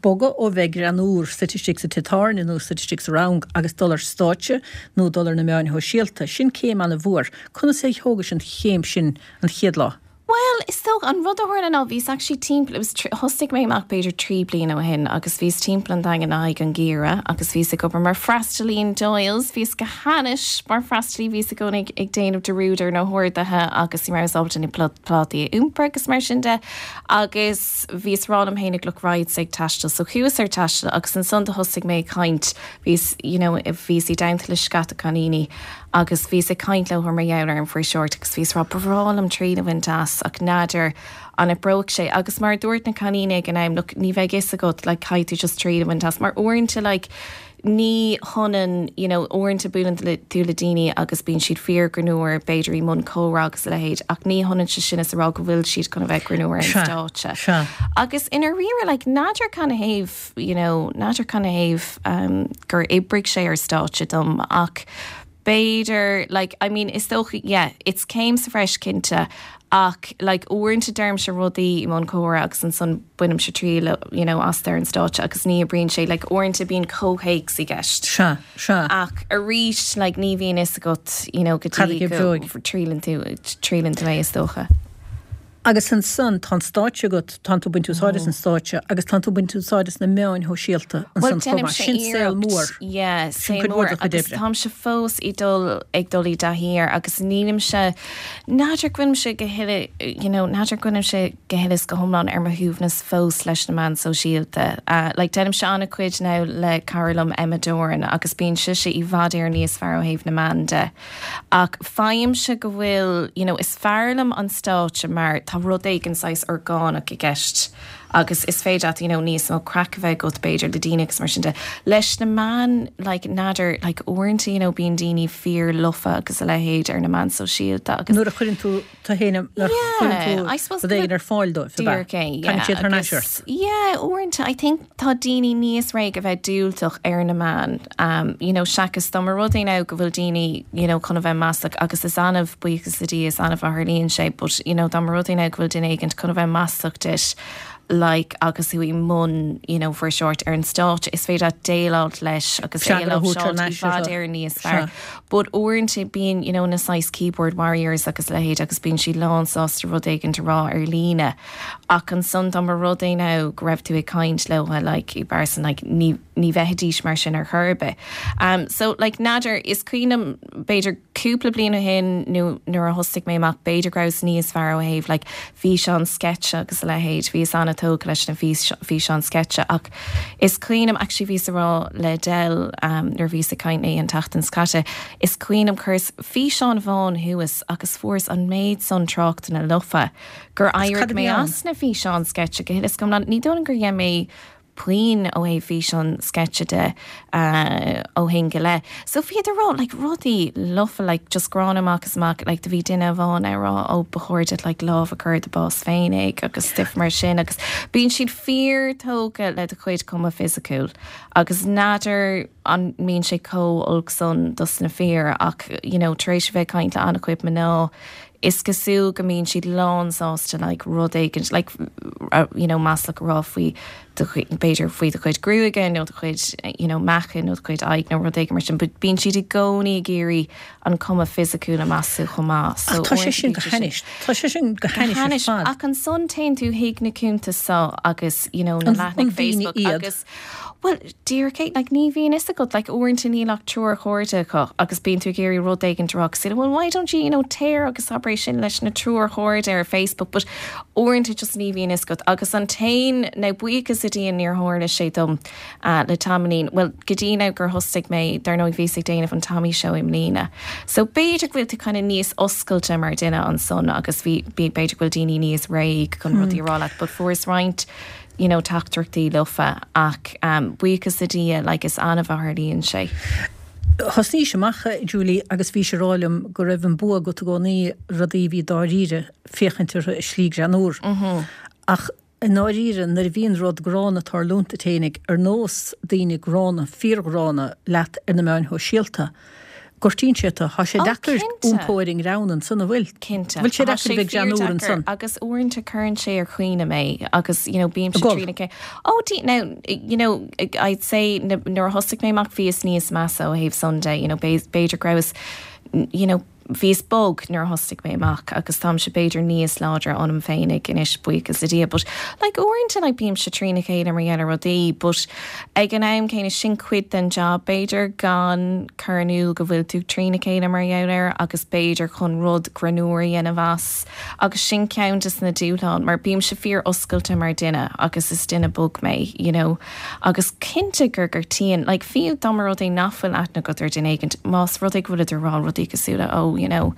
bogadh ó bheith greannmhar suite istigh sa tigh tábhairne nó suite istigh sa rang agus dul ar stáitse nó dul ar na meáin shóisialta, sin céim an-mhór. Conas a thógais an chéim sin an chéad lá? Bhuel, is dócha, an rud a tharla ná bhíos actually timpeall, it was thosaigh mé amach b'fhéidir 3 bliana ó shin agus bhíos timpeall an Daingin le haghaidh an gheimhridh agus bhíos ag obair mar freastalaí in Doyle's, bhíos go hainnis mar freastalaí, bhíos i gcónaí ag déanamh dearúd ar na horduithe agus ní rabhas ábalta na plátaí a iompar agus mar sin de agus bhíos ag rá liom fhéinig look raghadsa ag taisteal so chuas ar taisteal agus ansan do thosaigh mé ag caint bhíos you know bhíos i dteannta le scata cailíní agus bhíos ag caint leo mar gheall ar an fuirseoireacht agus bhíos ag rá ba bhreá liom triail a bhaint as ach n'fheadar an oibreoidh sé agus mar a dúirt na cailíní ag an am look ní bheidh fhios agat like caithfidh tú just triail a bhaint as mar uaireanta like Ní hionann, you know, uaireanta buaileann tú le daoine agus bíonn siad fíorghreannmhar, b'fhéidir i mbun comhrá agus a leithéid, ach ní hionann sé sin is a rá go bhfuil siad chun a bheith greannmhar ar an stáitse. Sea. Agus i ndáiríre, like, n'fheadar canathaobh, you know, n'fheadar canathaobh um, gur oibrigh sé ar stáitse dom ach b'fhéidir, like, I mean, is dócha, yeah, it's céim sa bhreis cinnte, ach, like, uaireanta deirimse rudaí i mbun comhrá agus ansan bainimse triail, you know, astu ar an stáitse agus ní oibríonn sé, like, uaireanta bíonn comhthéacs i gceist. Sea, sea. Ach arís, like, ní bhíonn fhios agat, you know, go dtí go dtriaileann tú, triaileann tú é, is dócha. Agus ansan, tá an stáitse agat, tánn tú ag baint úsáid as an stáitse agus tánn tú ag baint úsáid as na meáin shóisialta ansan chomh maith. Sin saol mór. Yeah, saol mór. Agus táimse fós ag dul, ag dul i dtaithí air agus nílimse, n'fheadar go bhfuilimse go huile, you know, n'fheadar go bhfuilimse go huile is go hiomlán ar mo shuaimhneas fós leis na meáin sóisialta. Like, déanaimse an-chuid now le cara liom Emma Doran agus bíonn sise i bhfad Éireann níos fearr ó thaobh na meán de. Ach faighimse go bhfuil, you know, is fearr liom an stáitse mar tá rud éigin saghas orgánach i gceist agus is féidir leat, you know, níos mó craic a bheith agat b'fhéidir le daoine agus mar sin de. Leis na meáin, like, n'fheadar, like, uaireanta, you know, bíonn daoine fíor lofa agus a leithéid ar na meáin sóisialta agus. Nuair a chuireann tú tú féin, nuair a chuireann tú rud éigin ar fáil dóibh, ab ea? Díreach é, yeah. Tagann siad thar n-ais ort. Yeah, uaireanta, I think tá daoine níos réidh a bheith diúltach ar na meáin, you know, seachas dá mba rud é now go bhfuil daoine, you know, chun a bheith maslach agus is annamh, buíochas le Dia, is annamh a tharlaíonn sé, but, you know, dá mba rud é now go bhfuil duine éigint chun a bheith maslach duit, like, agus tú i mbun, you know, fuirseoireacht ar an stáitse, is féidir leat déileáilt leis agus é a láimhseáilt i bhfad Éireann níos fearr. But uaireanta bíonn, you know, na saghas keyboard warriors agus a leithéid agus bíonn siad lán sásta rud éigint a rá ar líne. Ach ansan dá mba rud é now go raibh tú ag caint leo like i bpearsan like ní ní bheithidís mar sin ar chor ar bith. Um so like n'fheadar, is cuimhin liom b'fhéidir cúpla bliain ó shin nó nuair a thosaigh mé amach b'fhéidir go rabhas níos fearr ó thaobh like físeán sceitse agus a leithéid, bhíos an-tógtha leis na físeáin sceitse ach is cuimhin liom actually bhíos ag rá le Del um nuair a bhíos ag caint léi an tseachtain seo caite, is cuimhin liom chuireas físeán amháin thuas agus fuaireas an méid san tráchtanna lofa gur éirigh mé as na físeáin sceitse go huile is go hiomlán. Ní dóigh liom gur dhein mé. puinn ó thaobh físeán sceitse de ó shin go leith. So bhíodar ag rá like rudaí lofa like just gránna amach is amach like do bhí duine amháin ag rá ó ba chóir duit like lámh a chur i do bás féinig agus stuif mar sin agus bíonn siad fíor tógtha le do chuid cuma fisiciúil agus n'fheadar an mbíonn sé chomh olc san dos na fir ach you know tar éis a bheith ag caint le an-chuid mná is cosúil go mbíonn siad lán sásta like rud éigint like you know maslach a rá faoi do b'fhéidir faoi do chuid gruaige nó do chuid you know meáchain nó do chuid aghaidh nó rud éigin mar sin but bíonn siad i gcónaí ag iarraidh an cuma fisiciúil a mheasú chomh maith so Ach tá sé sin go hainnis tá sé sin go hainnis ar fad. Ach ansan téann tú chuig na cuntais so agus you know na leathanaigh Facebook agus Bhuel, díreach é, like, ní bhíonn fhios agat, like, uaireanta níl ach triúr chairde acu agus bíonn tú ag iarraidh rud éigin a rá cosúil le, well, why don't you, you know, téir agus abair é sin leis na triúr chairde ar Facebook, but uaireanta just ní bhíonn fhios agat. Agus an t-aon, now buíochas le Dia níor tharla sé dom uh, le tamaillín, well, go dtí now gur thosaigh mé, dar ndóigh bhíos ag déanamh an Tommy Show i mbliana. So b'fhéidir go bhfuil tú kind of níos oscailte mar duine ansan agus bhí, b'fhéidir go bhfuil daoine níos réidh chun rudaí a rá leat, but fuaireas roinnt you know teachtaireachtaí lofa ach buíochas le Dia like is annamh a tharlaíonn sé. Thosnaís amach, Julie, agus bhís ag rá liom go raibh an bua agat i gcónaí rudaí a bhí dáiríre féachaint orthu i slí greannúr. Ach i ndáiríre nuair a bhíonn rud gránna ag tarlúint duit fhéinig, ar nós daoine gránna, fíorghránna leat ar na meáin shóisialta, Gortaíonn sé tú. Tá sé deacair iompó ar an ngreann ansan, an bhfuil? Cinnte. Bhfuil sé deacair a bheith greannúr ansan? Agus uaireanta cuireann sé ar chuimhne mé agus, you know, bímse trína chéile. Oh, dí, now, you know, I'd say nuair a thosaigh mé amach bhíos níos measa ó thaobh san de, you know, b'fhéidir go rabhas, you know, bhíos bog nuair a thosaigh mé amach agus táimse b'fhéidir níos láidre ionam féinig anois, buíochas le Dia. But like uaireanta like bímse trína chéile mar gheall ar rudaí but ag an am céanna sin cuid den job b'fhéidir gan cur in iúl go bhfuil tú trína chéile mar gheall air agus b'fhéidir chun rud greannúr a dhéanamh as agus sin ceann des na dúshláin mar bímse fíor oscailte mar duine agus is duine bog mé you know agus cinnte gur gortaíonn like fiú dá mba rud é nach bhfuil aithne agat ar duine éigint más rud é go bhfuilid ag rá rudaí cosúil le oh you know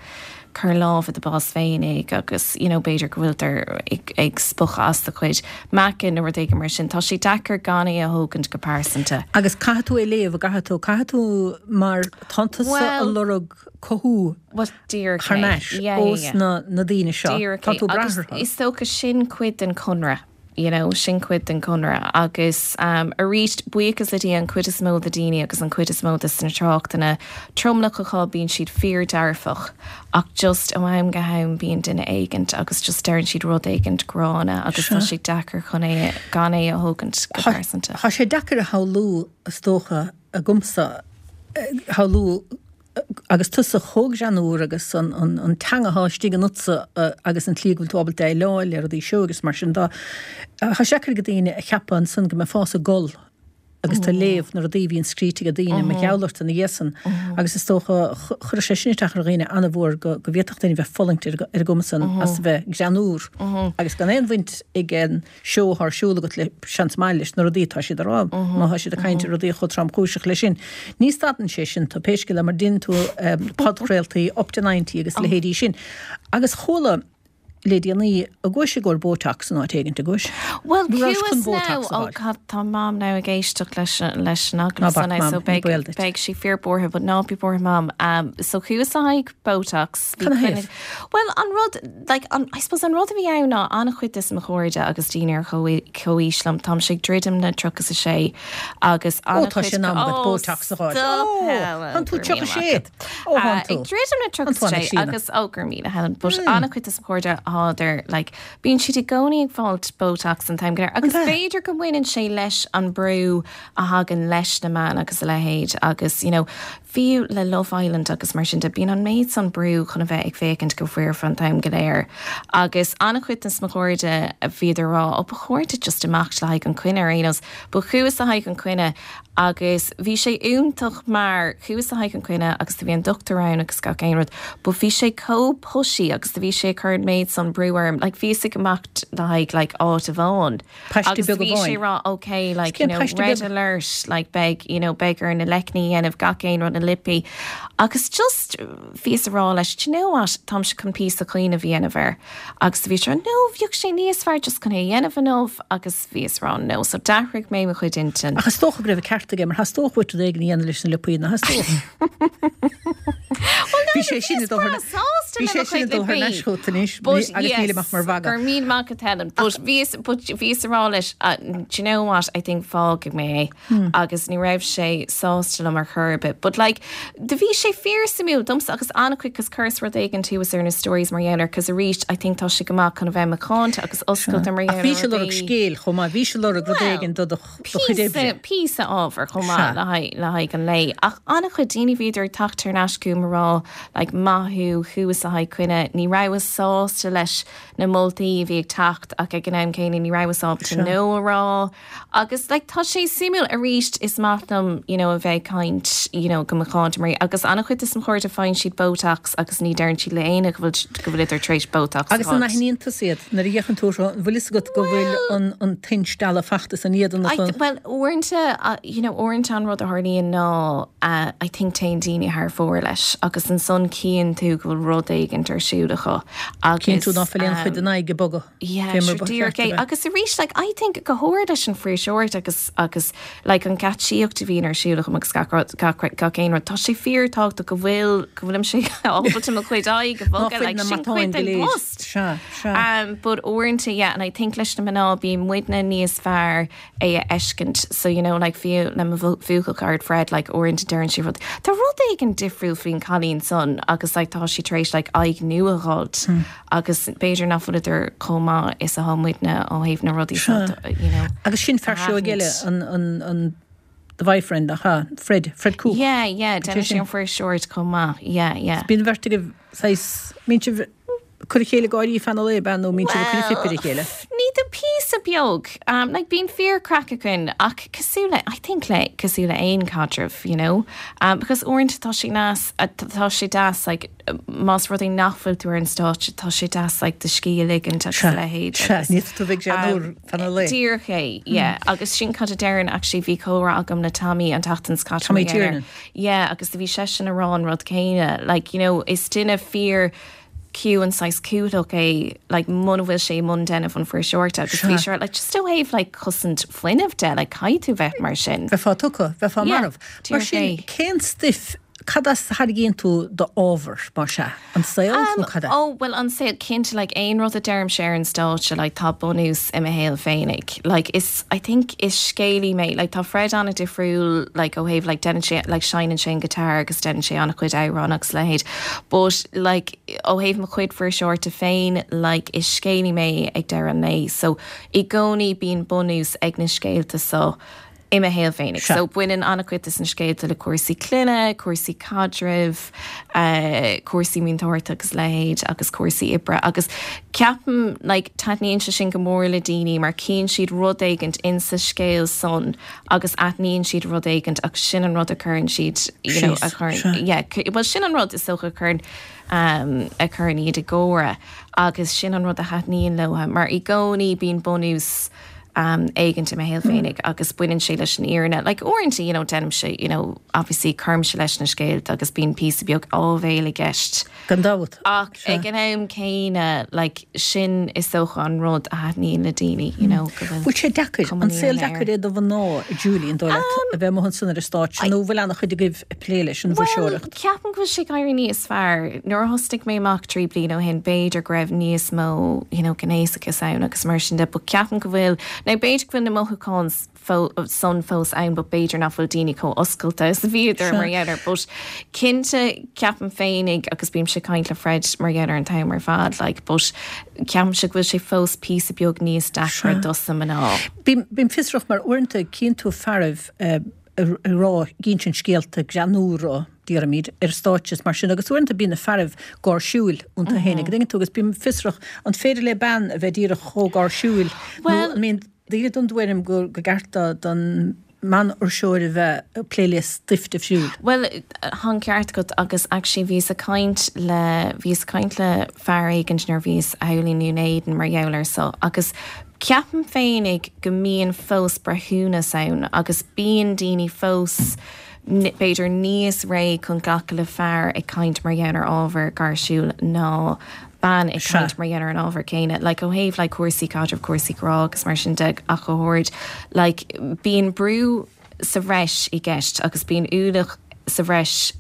cuir lámh i do bás féinig agus you know b'fhéidir go bhfuiltear ag ag spochadh as do chuid meáchain nó rud éigin mar sin. Tá sé deacair gan é a thógaint go pearsanta. Agus caithfidh tú é a léamh, an gcaithfidh tú, caithfidh tú mar tánn tusa ag lorg cothú thar n-ais ós na na daoine seo, tá tú ag brath orthu. Is dócha sin cuid den chonradh. you know, sin cuid den chonradh agus arís, buíochas le Dia, an chuid is mó de daoine agus an chuid is mó de na tráchtanna, tromlach acu, bíonn siad fíor-dearfach ach just ó am go ham bíonn duine éigint agus just deireann siad rud éigint gránna agus tá sé deacair chun é, gan é a thógaint go pearsanta. Tá sé deacair a shamhlú, is dócha, agamsa, shamhlú Agus tusa chomh greannúr agus an teanga atá istigh ionatsa agus an tslí go bhfuil tú ábalta déileáil le rudaí seo agus mar sin de, tá sé deacair ag daoine a cheapadh ansan go mbeifeása ag gol agus tú ag léamh na rudaí a bhíonn scríte ag daoine mar gheall ort ina dhiaidh san. Agus is dócha, chuirfeadh sé sin isteach ar dhaoine an-mhór go bhféadfadh duine bheith ag fulaingt ar an gcuma san as a bheith greannúr agus gan aon bhaint ag an seó atá ar siúl agat le seans maith leis na rudaí atá siad a rá, má tá siad ag caint ar rudaí chomh tromchúiseach leis sin. Ní stadann sé sin tú, pé scéal é, mar déanann tú podchraoltaí Up to 90 agus a leithéidí sin. Agus chuala le déanaí an gcuais i gcomhair Botox in áit éigint, an gcuais? Bhuel, chuas now, oh God, tá Mam now ag éisteacht leis leis an agallamh san now, so beidh beidh sí fíor buartha, but ná bí buartha Mam. So chuas le haghaidh Botox. Canathaobh? Bhuel, an rud, like, an, I suppose an rud a bhí ann ná an-chuid de mo chairde agus daoine ar chomhaois liom, táimse ag druidim le 36 agus Ó, tá sé in am agat Botox a fháil. Ó, tánn tú 36! Ó, thánn tú. Ag druidim le 36 agus, ó, go raibh míle, Helen, but an-chuid de mo chairde thádar, like, bíonn siad i gcónaí ag fáilt Botox an t-am go léir agus b'fhéidir go mbaineann sé leis an brú a thagann leis na meáin agus a leithéid agus, you know, Fiú le Love Island agus mar sin de, bíonn an méid san brú chun a bheith ag féachaint go foirfe an t-am go léir. Agus an-chuid de mo chairde, bhíodar ag rá, oh ba chóir duit just imeacht le haghaidh an coinne ar aon nós. But chuas le haghaidh an coinne agus bhí sé iontach mar chuas le haghaidh an coinne agus do bhí an dochtúir ann agus gach aon rud but bhí sé chomh pushy agus do bhí sé ag cur an méid san brú orm. Like bhíos ag imeacht le haghaidh like áit amháin. Paiste Agus beag bhí sé amháin. ag rá ok like Cén you know paiste red beag? alert like beidh you know beidh orainn na leicní a dhéanamh gach aon rud na. liopaí agus just bhíos a rá leis, do you know what, táimse chun píosa cuimhneamh a dhéanamh air agus do bhí sé no, bheadh sé níos fearr just chun é a dhéanamh inniu agus bhíos a rá no, so d'athraigh mé mo chuid intinn. Ach is dócha go raibh an ceart aige mar theastódh uait rud éigin a dhéanamh leis na liopaí, nach dteastódh? Bhí sé sin ag dul thar Bhí sé sin ag dul thar n-ais chugat anois agus míle maith mar mhagadh. Go raibh míle maith agat Helen, but bhíos but bhíos a rá leis do you know what I think fágfaidh mé é agus ní raibh sé sásta liom ar chor ar bith. But like do bhí sé fíor suimiúil domsa agus an-chuid cos chuireas rud éigin thuas ar na stories mar gheall air cos arís I think tá sé go maith chun a bheith macánta agus oscailte mar gheall ar Ach bhís ag lorg scéil chomh maith, bhís ag lorg rud éigin do do do chuid oibre. Píosa, píosa ábhair chomh maith le haghaidh, le haghaidh an lae. Ach an-chuid daoine bhíodar ag teacht thar n-ais chugam a rá like maith thú, chuas le haghaidh coinne, ní rabhas sásta leis na moltaí a bhí ag teacht ach ag an am céanna ní rabhas ábalta no a rá. Agus like tá sé suimiúil arís is maith liom you know a bheith ag caint you know go macánta mar agus an-chuid de mo chairde faigheann siad Botox agus ní deireann siad le éinne go bhfuil go bhfuileadar tar éis Botox a Agus an fháil. aithníonn tusa iad nuair a fhéachann tú orthu an bhfuil fhios agat go bhfuil an an t-instealladh fachta san éadan I acu? bhuel uaireanta you know uaireanta an rud a tharlaíonn ná I think téann daoine thar fóir leis agus ansan cíonn tú go bhfuil rud éigint ar siúl acu Cíonn tú agus ná fuil aon chuid den aghaidh ag bogadh. Yeah, sure díreach é. Agus arís, like, I think go háirid leis an fuirseoireacht agus, agus, like, an geáitsíocht a bhíonn ar siúl agam agus gach rud, gach, gach aon rud, tá sé fíor tábhachtach go bhfuil, go bhfuilimse ábalta mo chuid aghaidh a bhogadh, like, sin cuid den bpost. Sea, sea. Um, but uaireanta, yeah, and I think leis na mná, bíonn muidne níos fearr é a fheiscint. So, you know, like, fiú le mo bhuachaill cara Fred, like, uaireanta deireann sé rud, tá rud éigin difriúil faoin cailín san agus, like, tá sí tar éis, like, aghaidh nua a dh'fháilt. Agus b'fhéidir nach bhfuileadar chomh maith is atá muidne ó thaobh na rudaí seo, you know, Agus sin fear seoigh eile, an, an, an, the boyfriend, nach ea? Fred, Fred Cooke. Yeah, yeah, déanann sé an fuirseoireacht chomh maith, yeah, yeah. Bíonn an bheirt agaibh saghas, mbíonn sibh ag cur a chéile ag gáirí feadh an lae, ab ea, nó mbíonn sibh ag cur an phip ar a chéile? Well, ní do píosa beag, um, like bíonn fíor craic againn ach cosúil le, I think le, cosúil le aon caidreamh, you know, um, because uaireanta tá sé deas, tá sé deas, like, más rud é nach bhfuil tú ar an stáitse, tá sé deas like do scíth a ligint agus a leithéid. Sea, ní tú bheidh sé an uair feadh an lae. Díreach é, yeah. Agus sin cad a deireann, actually, bhí comhrá agam le Tommy an tseachtain seo caite. Tommy Tiernan. Yeah, agus do bhí seisean a rá an rud céanna. Like, you know, is duine fíor ciúin saghas cúthaileach é, like, muna bhfuil sé i mbun déanamh an fuirseoireachta agus bhí sé like, just ó thaobh like, cosaint fuinnimh de, like, caithfidh tú bheith mar sin. Bheifeá tugtha, bheifeá marbh. Mar sin, cén stuif Cad as a tharraingíonn tú d'ábhar, más ea? An saol nó cad é? Ó, bhuel, an saol, cinnte, like, aon rud a deirimse ar an stáitse, like, tá bunús i mo shaol féinig. Like, is, I think, is scéalaí mé, like, tá Fred an-difriúil, like, ó thaobh, like, déanann sé, like, seinneann sé an guitar agus déanann sé an-chuid amhrán agus a leithéid. But, like, ó thaobh mo chuid fuirseoireachta féin, like, is scéalaí mé ag deireadh an lae. So, i gcónaí bíonn bunús ag na scéalta so. i mo shaol féinig. So baineann an-chuid de na scéalta le cúrsaí clainne, cúrsaí caidrimh, cúrsaí múinteoireachta agus a leithéid agus cúrsaí oibre agus ceapaim like taitníonn sé sin go mór le daoine mar cíonn siad rud éigint insa scéal san agus aithníonn siad rud éigint agus sin an rud a chuireann siad you know a chuireann yeah well sin an rud is dócha a chuireann a chuireann iad ag gáire agus sin an rud a thaitníonn leo mar i gcónaí bíonn bunús éigint i mo shaol féinig agus baineann sé leis an fhírinne. Like uaireanta, you know, déanaimse, you know, obviously cuirimse leis na scéalta agus bíonn píosa beag áibhéil i gceist. Gan dabht. Ach ag an am céanna, like, sin is dócha an rud a thaitníonn le daoine, you know, go bhfuil Bhfuil sé deacair, an saol deacair é do mhná, a Julie, an dóigh leat, a bheith amuigh ansan ar an stáitse nó bhfuil an-chuid agaibh ag plé leis an bhfuirseoireacht? Bhuel, ceapaim go bhfuil sé ag éirí níos fearr. Nuair a thosnaigh mé amach 3 bliana ó shin, b'fhéidir go raibh níos mó, you know, gnéasachas ann agus mar sin de, but ceapaim go bhfuil, now b'fhéidir go bhfuil na mothúcháin san fós ann but b'fhéidir nach bhfuil daoine chomh oscailte is a bhíodar mar gheall air. But cinnte, ceapaim féinig, agus bímse ag caint le Fred mar gheall air an t-am ar fad, like, but ceapaimse go bhfuil sé fós píosa beag níos deacra dos na mná. Bím fiosrach mar uaireanta cíonn tú fearaibh, ag rá, ag insint scéalta greannúra, déarfaimid, ar stáitse is mar sin, agus uaireanta bíonn na fearaibh gáirsiúil iontu féin, an dtuigeann tú, agus bím fiosrach, an féidir le bean a bheith díreach chomh gáirsiúil nó an mbíonn daoine den dtuairim gur ceart don mbanfhuirseoir a bheith ag plé le stuif difriúil? Bhuel, tá an ceart agat agus actually bhíos ag caint le, bhíos ag caint le fear éigint nuair a bhíos thall i nDún Éideann mar gheall air so agus Ceapaim féinig go mbíonn fós breithiúnas ann agus bíonn daoine fós. b'fhéidir níos réidh chun glacadh le fear ag caint mar gheall ar ábhar gáirsiúil ná bean ag caint mar gheall ar an ábhar céanna. Like ó thaobh like cúrsaí caidrimh, cúrsaí grá agus mar sin de ach go háirid like bíonn brú sa bhreis i gceist agus bíonn ualach sa bhreis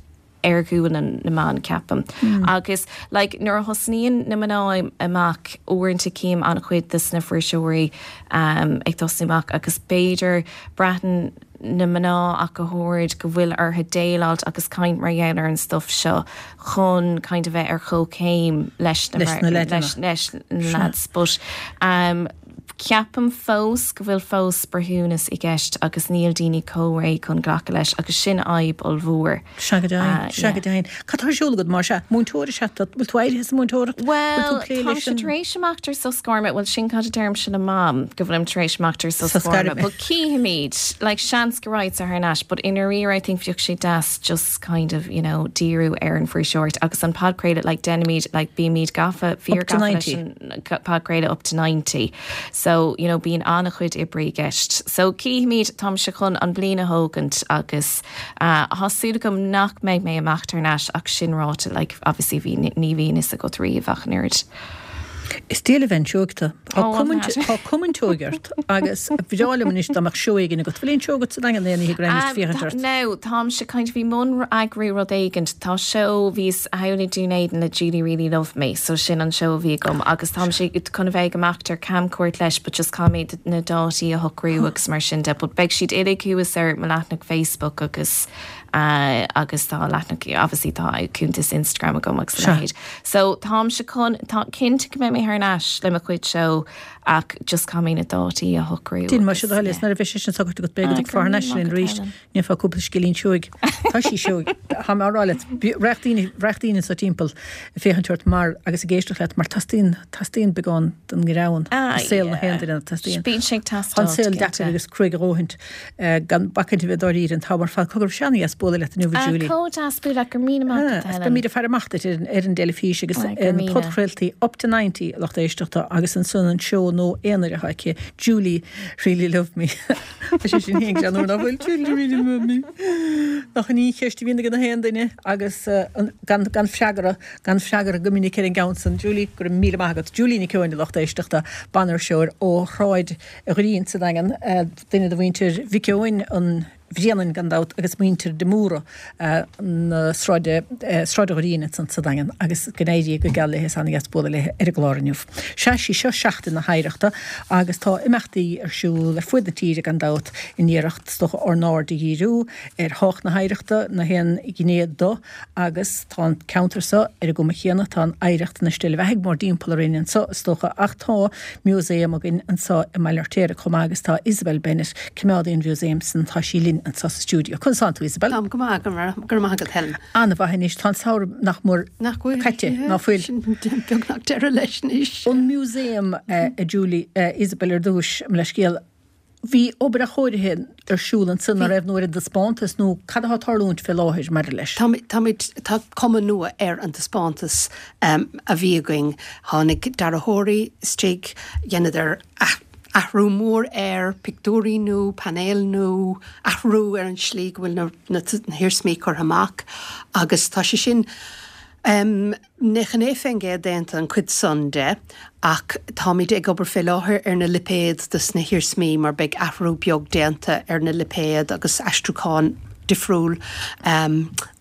ar ghualainn na mban, ceapaim. Agus like nuair a thosnaíonn na mná amach, uaireanta cím an-chuid dos na fuirseoirí ag tosnú amach agus b'fhéidir braitheann na mná ach go háirid go bhfuil orthu déileáilt agus caint mar gheall ar an stuff seo chun kind of bheith ar chomhchéim leis na leis na lads. But um, ceapaim fós go bhfuil fós breithiúnas i gceist agus níl daoine chomh réidh chun glacadh leis agus sin fhadhb ollmhór. Sea go deimhin, sea go deimhin. Cad tá ar siúl agat mar sea? Múinteoir is ea tú? Bhfuil tú éirithe as an múinteoireacht? Bhfuil tú ag plé leis an. Bhuel, táimse tar éis imeacht ar sos gairme, bhuel sin cad a deirimse le Mam, go bhfuilim tar éis imeacht ar sos gairme, but cífimid, like seans go raghadsa thar n-ais, but i ndáiríre I think bheadh sé deas just kind of, you know, díriú ar an fuirseoireacht agus an podchraoladh, like deinimid, like bímid gafa, fíor gafa leis an podchraoladh up to 90. So, you know, bíonn an-chuid oibre i gceist. So cífimid, táimse chun an bliain a thógaint agus Tá súil agam nach mbeidh mé ag imeacht thar n-ais ach sin ráite, like, obviously bhí, ní bhíonn fhios agat riamh ach an oiread. Is diail a bheith seoigh tú. Tá Tá cuma an tseoigh ort agus ba bhreá liom anois dá mbeadh seó éigin agat. Bhfuil aon seó agat sa Daingean aon oíche go raghaimís ag féachaint ort? Now, táimse kind of i mbun eagrú rud éigint. Tá seó, bhíos thall i Dún Éideann le Julie Really Love Me, so sin an seó a bhí agam agus táimse chun a bheith ag imeacht ar camchuairt leis but just caithfidh mé na dátaí a shocrú agus mar sin de but beidh siad uilig thuas ar mo leathanach Facebook agus agus tá leathanach obviously tá cuntas Instagram agam agus a leithéid. So táimse chun, tá cinnte go mbeidh mé thar n-ais le mo chuid seó ach just caithfidh mé na dátaí a shocrú Déan mar sin a thoil is nuair a bheidh sé sin socraithe agat beidh agat ag fáth thar n-ais linn arís. Ndéanfá cúpla scéilín seoigh. Tá sí seoigh. Tá mé á rá leat, raghadh daoine, raghadh daoine anso timpeall ag féachaint ort mar, agus ag éisteacht leat mar teastaíonn, teastaíonn beagán den ngreann i saol na haon duine, teastaíonn. Bíonn sé ag Tá an teastáil, saol deacair agus cruaidh a dhóthaint gan bacaint a bheith dáiríre an t-am ar fad. Cogar, bhí sé ana-dheas bualadh leat inniu, a Julie. Chomh deas bualadh leat, go raibh míle maith agat, a Helen. Beimid ag faire amach duit ar an dteilifís agus ar na podchraoltaí Up to 90, a lucht éisteachta, agus ansan an seó nua aonair atá aici, Julie Really Love Me. Tá sé sin féin greannmhar nach bhfuil? Julie really love me. Nach in í an cheist a bhíonn ag na haon duine agus gan gan freagra, gan freagra go minic ar an gceann san. Julie, go raibh míle maith agat. Julie Nic Eoin, a lucht éisteachta, banfhuirseoir ó Shráid Ghrinn sa Daingean, duine de mhuintir Mhic Eoin an Bhréanainn gan dabht agus muintir de Mórdha na Sráide, Sráid Ghrinn ansan sa Daingean agus go n-éirí go geal léi is ana-dheas bualadh léi ar an gclár inniu. Sea, sí seo Seachtain na hOidhreachta agus tá imeachtaí ar siúl ar fuaid na tíre gan dabht in iarracht is dócha ár n-aird a dhíriú ar thábhacht na hoidhreachta, na haon ghné do agus tá an ceantar seo ar an gcuma chéanna, tá an oidhreacht ina steillebheathaidh mórdtimpeall orainn anseo is dócha ach tá músaem againn anseo i mBaile Fheirtéaraigh chomh maith agus tá Isabel Bennett, coimeádaí an mhúsaeim san, tá sí linn anseo sa stiúideo. Conas tánn tú Isabel? Táim go maith, go raibh maith agat Helen. An-mhaith anois, tá an samhradh nach mór caite, ná fuil? Sin beagnach deireadh leis anois. An músaem, a Julie, Isabel ar dtús, mo leithscéal, Bhí obair athchóirithe ar siúl ansin, an raibh, nó ar an dtaispeántas, nó cad atá ag tarlúint fé láthair maidir leis? Táimid, tá cuma nua ar an taispeántas a bhí againn. Tháinig dearthóirí istigh, dheineadar athrú mór air, pictiúirí nua, painéil nua, athrú ar an slí go bhfuil na hiarsmaí curtha amach agus tá sé sin, 99% déanta an cuid san de ach táimid ag obair fé láthair ar na lipéid dos na hiarsmaí mar beidh athrú beag déanta ar na lipéid agus aistriúchán difriúil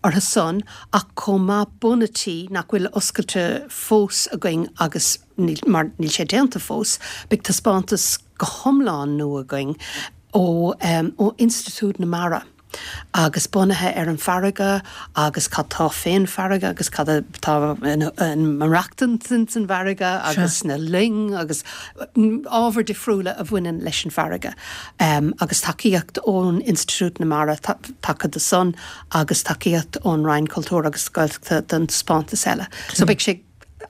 orthu san ach chomh maith bun a' tí nach bhfuil oscailte fós againn agus níl mar níl sé déanta fós beidh taispeántas go hiomlán nua againn ó ó Institiúid na Mara. agus bunaithe ar an bhfarraige agus cad tá fén bhfarraige agus cad atá ag maireachtaint ins an bhfarraige agus na loing agus ábhair difriúla a bhaineann leis an bhfarraige agus tacaíocht ón Institiúid na Mara tagtha do san agus tacaíocht ón Roinn Cultúir agus Gaeltachta don taispeántas eile. So beidh sé.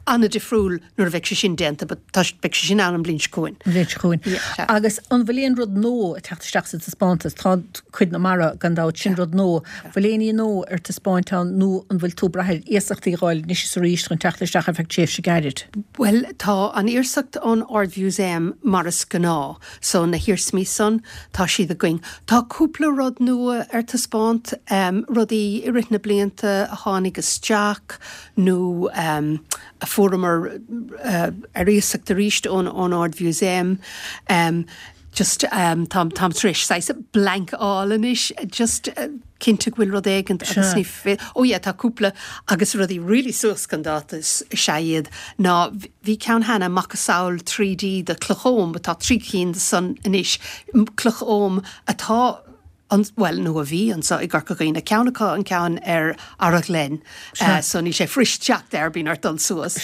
an-difriúil nuair a bheidh sé sin déanta but tá, beidh sé sin ann an bhliain seo chugainn. An bhliain seo chugainn. Yeah, sea. Agus an bhfuil aon rud nua ag teacht isteach sa taispeántas? Tá cuid na mara gan dabht, sin rud nua. Bhfuil aon ní nua ar taispeáint ann nó an bhfuil tú ag brath ar iasachtaí a dh'fháil anois is arís chun teacht isteach ar feadh tréimhse gairid? Bhuel, tá an iasacht ón Ard-Mhúsaem mar is gnáth, so na hiarsmaí san, tá siad againn. Tá cúpla rud nua ar taispeánt, rudaí i rith na blianta a tháinig isteach nó a fuaireamar ar iasacht arís ón Ard-Mhúsaem. Just táim táim tar éis saghas blank a fháil anois just cinnte go bhfuil rud éigint agus ní fi oh yeah tá cúpla agus rudaí really suas chun dáta is ea iad ná bhí ceann cheana macasamhail 3D de chloch Oghaim but tá 3 cinn de san anois cloch Oghaim atá an, bhuel, nó a bhí anseo i gCorca Dhuibhne, ceann acu an ceann ar Araghlen, so níl sé fuirist teacht air, bíonn ort dul suas,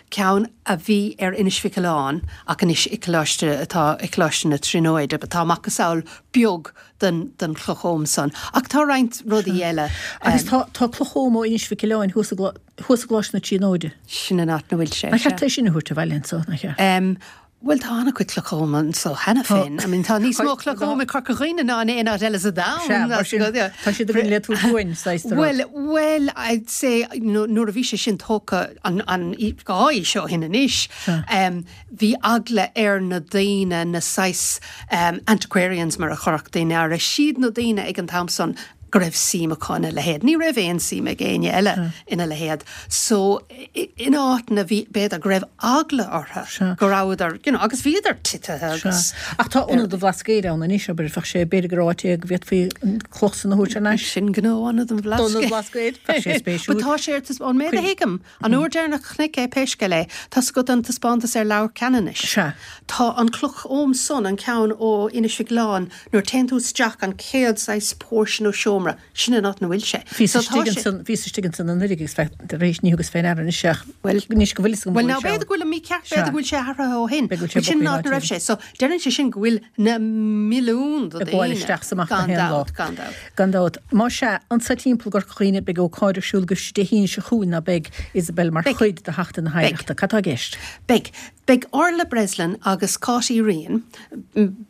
ceann a bhí ar Inis Mhic Aoláin ach anois i Coláiste, atá i Coláiste na Tríonóide, but tá macasamhail beag den, den chloch Oghaim san. Ach tá roinnt rudaí eile. Agus tá, tá cloch Oghaim ó Inis Mhic Aoláin thuas i thuas i gColáiste na Tríonóide. Sin an áit 'na bhfuil sé, Nár cheart é sin a thabhairt abhaile anso, nach cheart? Bhuel, tá an-chuid clocha Oghaim anso cheana féin. I mean, tá níos mó clocha Oghaim i Corca Dhuibhne ná in aon áit eile sa domhan. Sea, mar sin, tá siad againn le tabhairt uainn, saghas de rud. Bhuel, bhuel, I'd say, you know, nuair a bhí sé sin tógtha an, an, dhá aois ó shin anois, bhí eagla ar na daoine, na saghas antiquarians mar a chuirfeadh daoine orthu, siad na daoine ag an t-am san go raibh suim acu ina leithéid. Ní raibh aon suim ag éinne eile ina leithéid. So, in áiteanna bhí, b'fhéidir go raibh eagla orthu go rabhadar, you know, agus bhíodar titithe agus. Ach tá Ionad an Bhlascaoid ann anois, abair, bheadh sé, b'fhéidir gur áit é go bhféadfaí an cloch san a thabhairt thar n-ais. Sin gnó Ionad an Bhlascaoid. Ionad an Bhlascaoid, bheadh sé spéisiúil. But tá sé ar taispeáint, ón méid a thuigim, an uair deireanach a chonaic é pé scéal é, tá's agat an taispeántas ar Leabhar Ceanannais. Sea. Tá an cloch Oghaim san, an ceann ó Inis Mhic Aoláin, nuair a téann tú isteach an chéad saghas portion ó seomra, Sin an áit 'na bhfuil sé. Bhíos istigh ansan, bhíos istigh ansan anuraidh agus bheith tar éis, ní thugas fé ndeara anois ach, bhuel, anois go bhfuil fhios agam go bhfuil sé ann. Bhuel, now b'fhéidir go bhfuil mícheart, b'fhéidir go bhfuil sé athraithe ó shin. B'fhéidir go bhfuil sé Sin an áit 'na raibh sé. So, deireann sé sin go bhfuil na milliúin de Ag gabháil isteach 's amach gach aon lá. Gan dabht, gan dabht. Gan dabht. Más ea, anso timpeall i gCorca Dhuibhne beidh ócáid ar siúl agaibh Dé hAoine seo chugainn ná beidh, Isabel, mar chuid de Sheachtain na hOidhreachta. Cad tá i gceist? Beidh. Beidh Orla Breslin agus Cáit Uí Riain,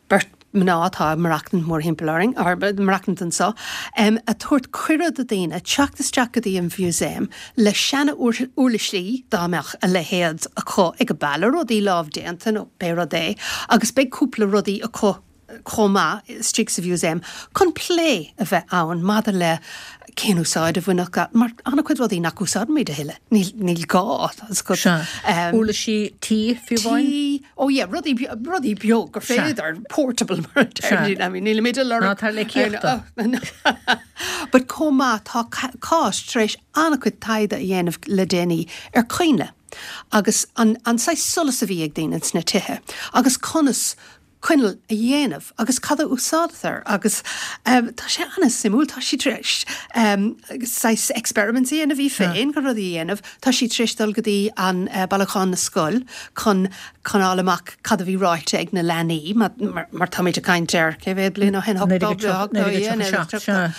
beirt mná atá ag maireachtaint mórthimpeall orainn, or maireachtaint anso, ag tabhairt cuireadh do daoine teacht isteach go dtí an mhúsaem le seana-uirlisí, dá mbeadh a leithéid acu ag an baile, rudaí lámhdéanta nó pé rud é, agus beidh cúpla rudaí acu chomh maith istigh sa mhúsaem chun plé a bheith ann maidir le cén úsáid a bhainfeadh, mar an-chuid rudaí nach úsáidimid a thuilleadh, níl, níl gá, tá 'fhios agat. Sea. Uirlisí tí, fiú amháin? Tí, Oh yeah, rudaí, rudaí beag gur féidir, portable mar a deir I mean, nílimid ag lorg. Ná tar le cíochta. But chomh maith, tá Cáit tar éis an-chuid taighde a dhéanamh le déanaí ar coinnle agus an, an saghas solas a bhí ag daoine sna tithe agus conas coinneal a dhéanamh agus cad a úsáidtear agus tá sé an-suimiúil, tá sí tar éis saghas experiments a dhéanamh í féin chun rudaí a dhéanamh, tá sí tar éis dul go dtí an Bailiúchán na Scol chun chun fháil amach cad a bhí ráite ag na leanaí mar mar táimid ag caint ar cé mhéad bliain ó shin, 1937, sea.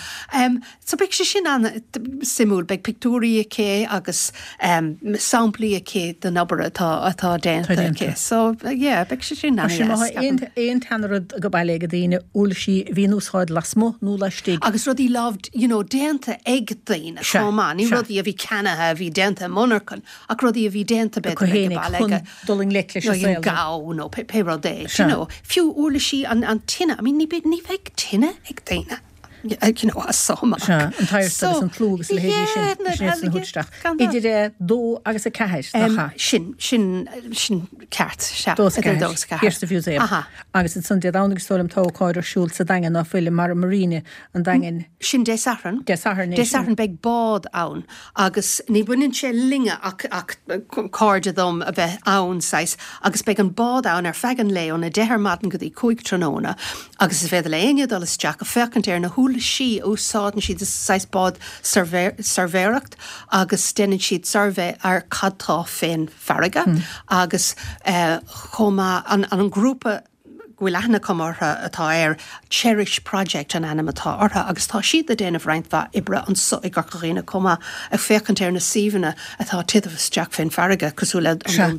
So beidh sé sin an-suimiúil, beidh pictiúirí aici agus samplaí aici den obair atá atá déanta aici. So yeah, beidh sé sin an-deas. Mar sin má tá aon tseanrud ag baile ag daoine, uirlisí a bhí in úsáid lasmuigh nó laistigh. Agus rudaí lámh, you know, déanta ag daoine chomh maith, ní rudaí a bhí ceannaithe, a bhí déanta i monarchan, ach rudaí a bhí déanta b'fhéidir ag an baile ag dul i ngleic leis an saol. Nó nó pé rud é, you know. Fiú uirlisí an an tine, I mean ní bheidh tine ag daoine. you know, as so amach. Sea, an t-adhart agus an tlú agus a leithéidí sin, sin iad san a thabhairt isteach. Idir 2 agus 4, nach ea? Sin, sin, sin ceart, sea. 2 is 4, thiar sa Mhúsaem. Aha. Agus ansan Dé Domhnaigh is dóigh liom tá ócáid ar siúl sa Daingean, ná fuil, i Mara Marina, an Daingin. Sin Dé Sathairn. Dé Sathairn é sin. Dé Sathairn beidh bád ann agus ní bhaineann sé linne ach, ach cairde dom a bheith ann, saghas, agus beidh an bád ann ar feadh an lae óna deich ar maidin go dtí 5 tráthnóna agus is féidir le éinne dul isteach ag féachaint ar na huirlisí a úsáideann siad, is saghas bád suirbhéireacht agus déanann siad suirbhé ar cad tá fén bhfarraige agus chomh maith an grúpa. go bhfuil aithne agam orthu atá air, Cherish Project an ainm atá orthu agus tá siad ag déanamh roinnt mhaith oibre anso i gCorca Dhuibhne chomh maith, ag féachaint ar na suíomhanna atá ag titim isteach fén bhfarraige, cosúil le An Dún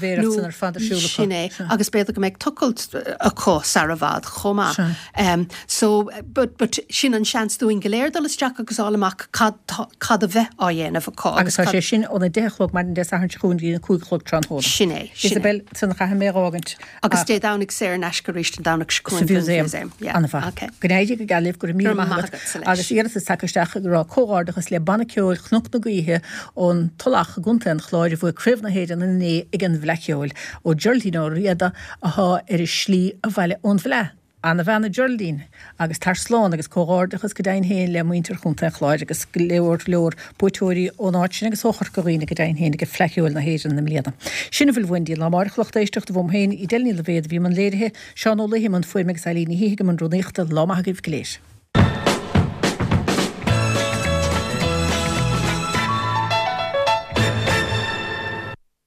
Beag nó sin é, agus b'fhéidir go mbeidh tochailt acu sar i bhfad chomh maith. So, but, but sin an seans dúinn go léir dul isteach agus fháil amach cad tá, cad a bheith á dhéanamh acu Agus tá sé sin óna deich a chlog maidin Dé Sathairn seo chugainn go dtí na 5 a chlog tráthnóna. Sin é, sin é. Isabel, san chaithfidh mé a dh'fhágaint. Agus Dé Domhnaigh saor in aisce arís an Domhnach seo chugainn don mhúsaem. Yeah. An-mhaith. Okay. Go n-éirí go geal libh, go raibh míle maith agat. Agus iarratas tagtha isteach ag rá comhghairdeachas le Banna Ceoil Chnoc na Gaoithe ón Tulach i gContae an Chláir a bhuaigh Craobh na hÉireann inné ag an bhFleadh Cheoil. Ó Geraldine Ó Riada athá ar a slí abhaile ón bhFleadh. Ana-bhean a Geraldine, agus tar slán agus comhghairdeachas go deimhin féin le muintir Chontae an Chláir agus go leor leor buaiteoirí ón áit sin agus ó Chorca Dhuibhne go deimhin féin ag Fleadh Cheoil na hÉireann i mbliana. Sin a bhfuil uainn dtí an lá amárach a lucht éisteachta, uaim féin, Edel Ní Loibhéad a bhí i mbun léirithe, Seán Ó Laoithe i mbun fuaime agus Eileen Ní Shíthigh i mbun rúnaíochta. Lá maith agaibh go léir.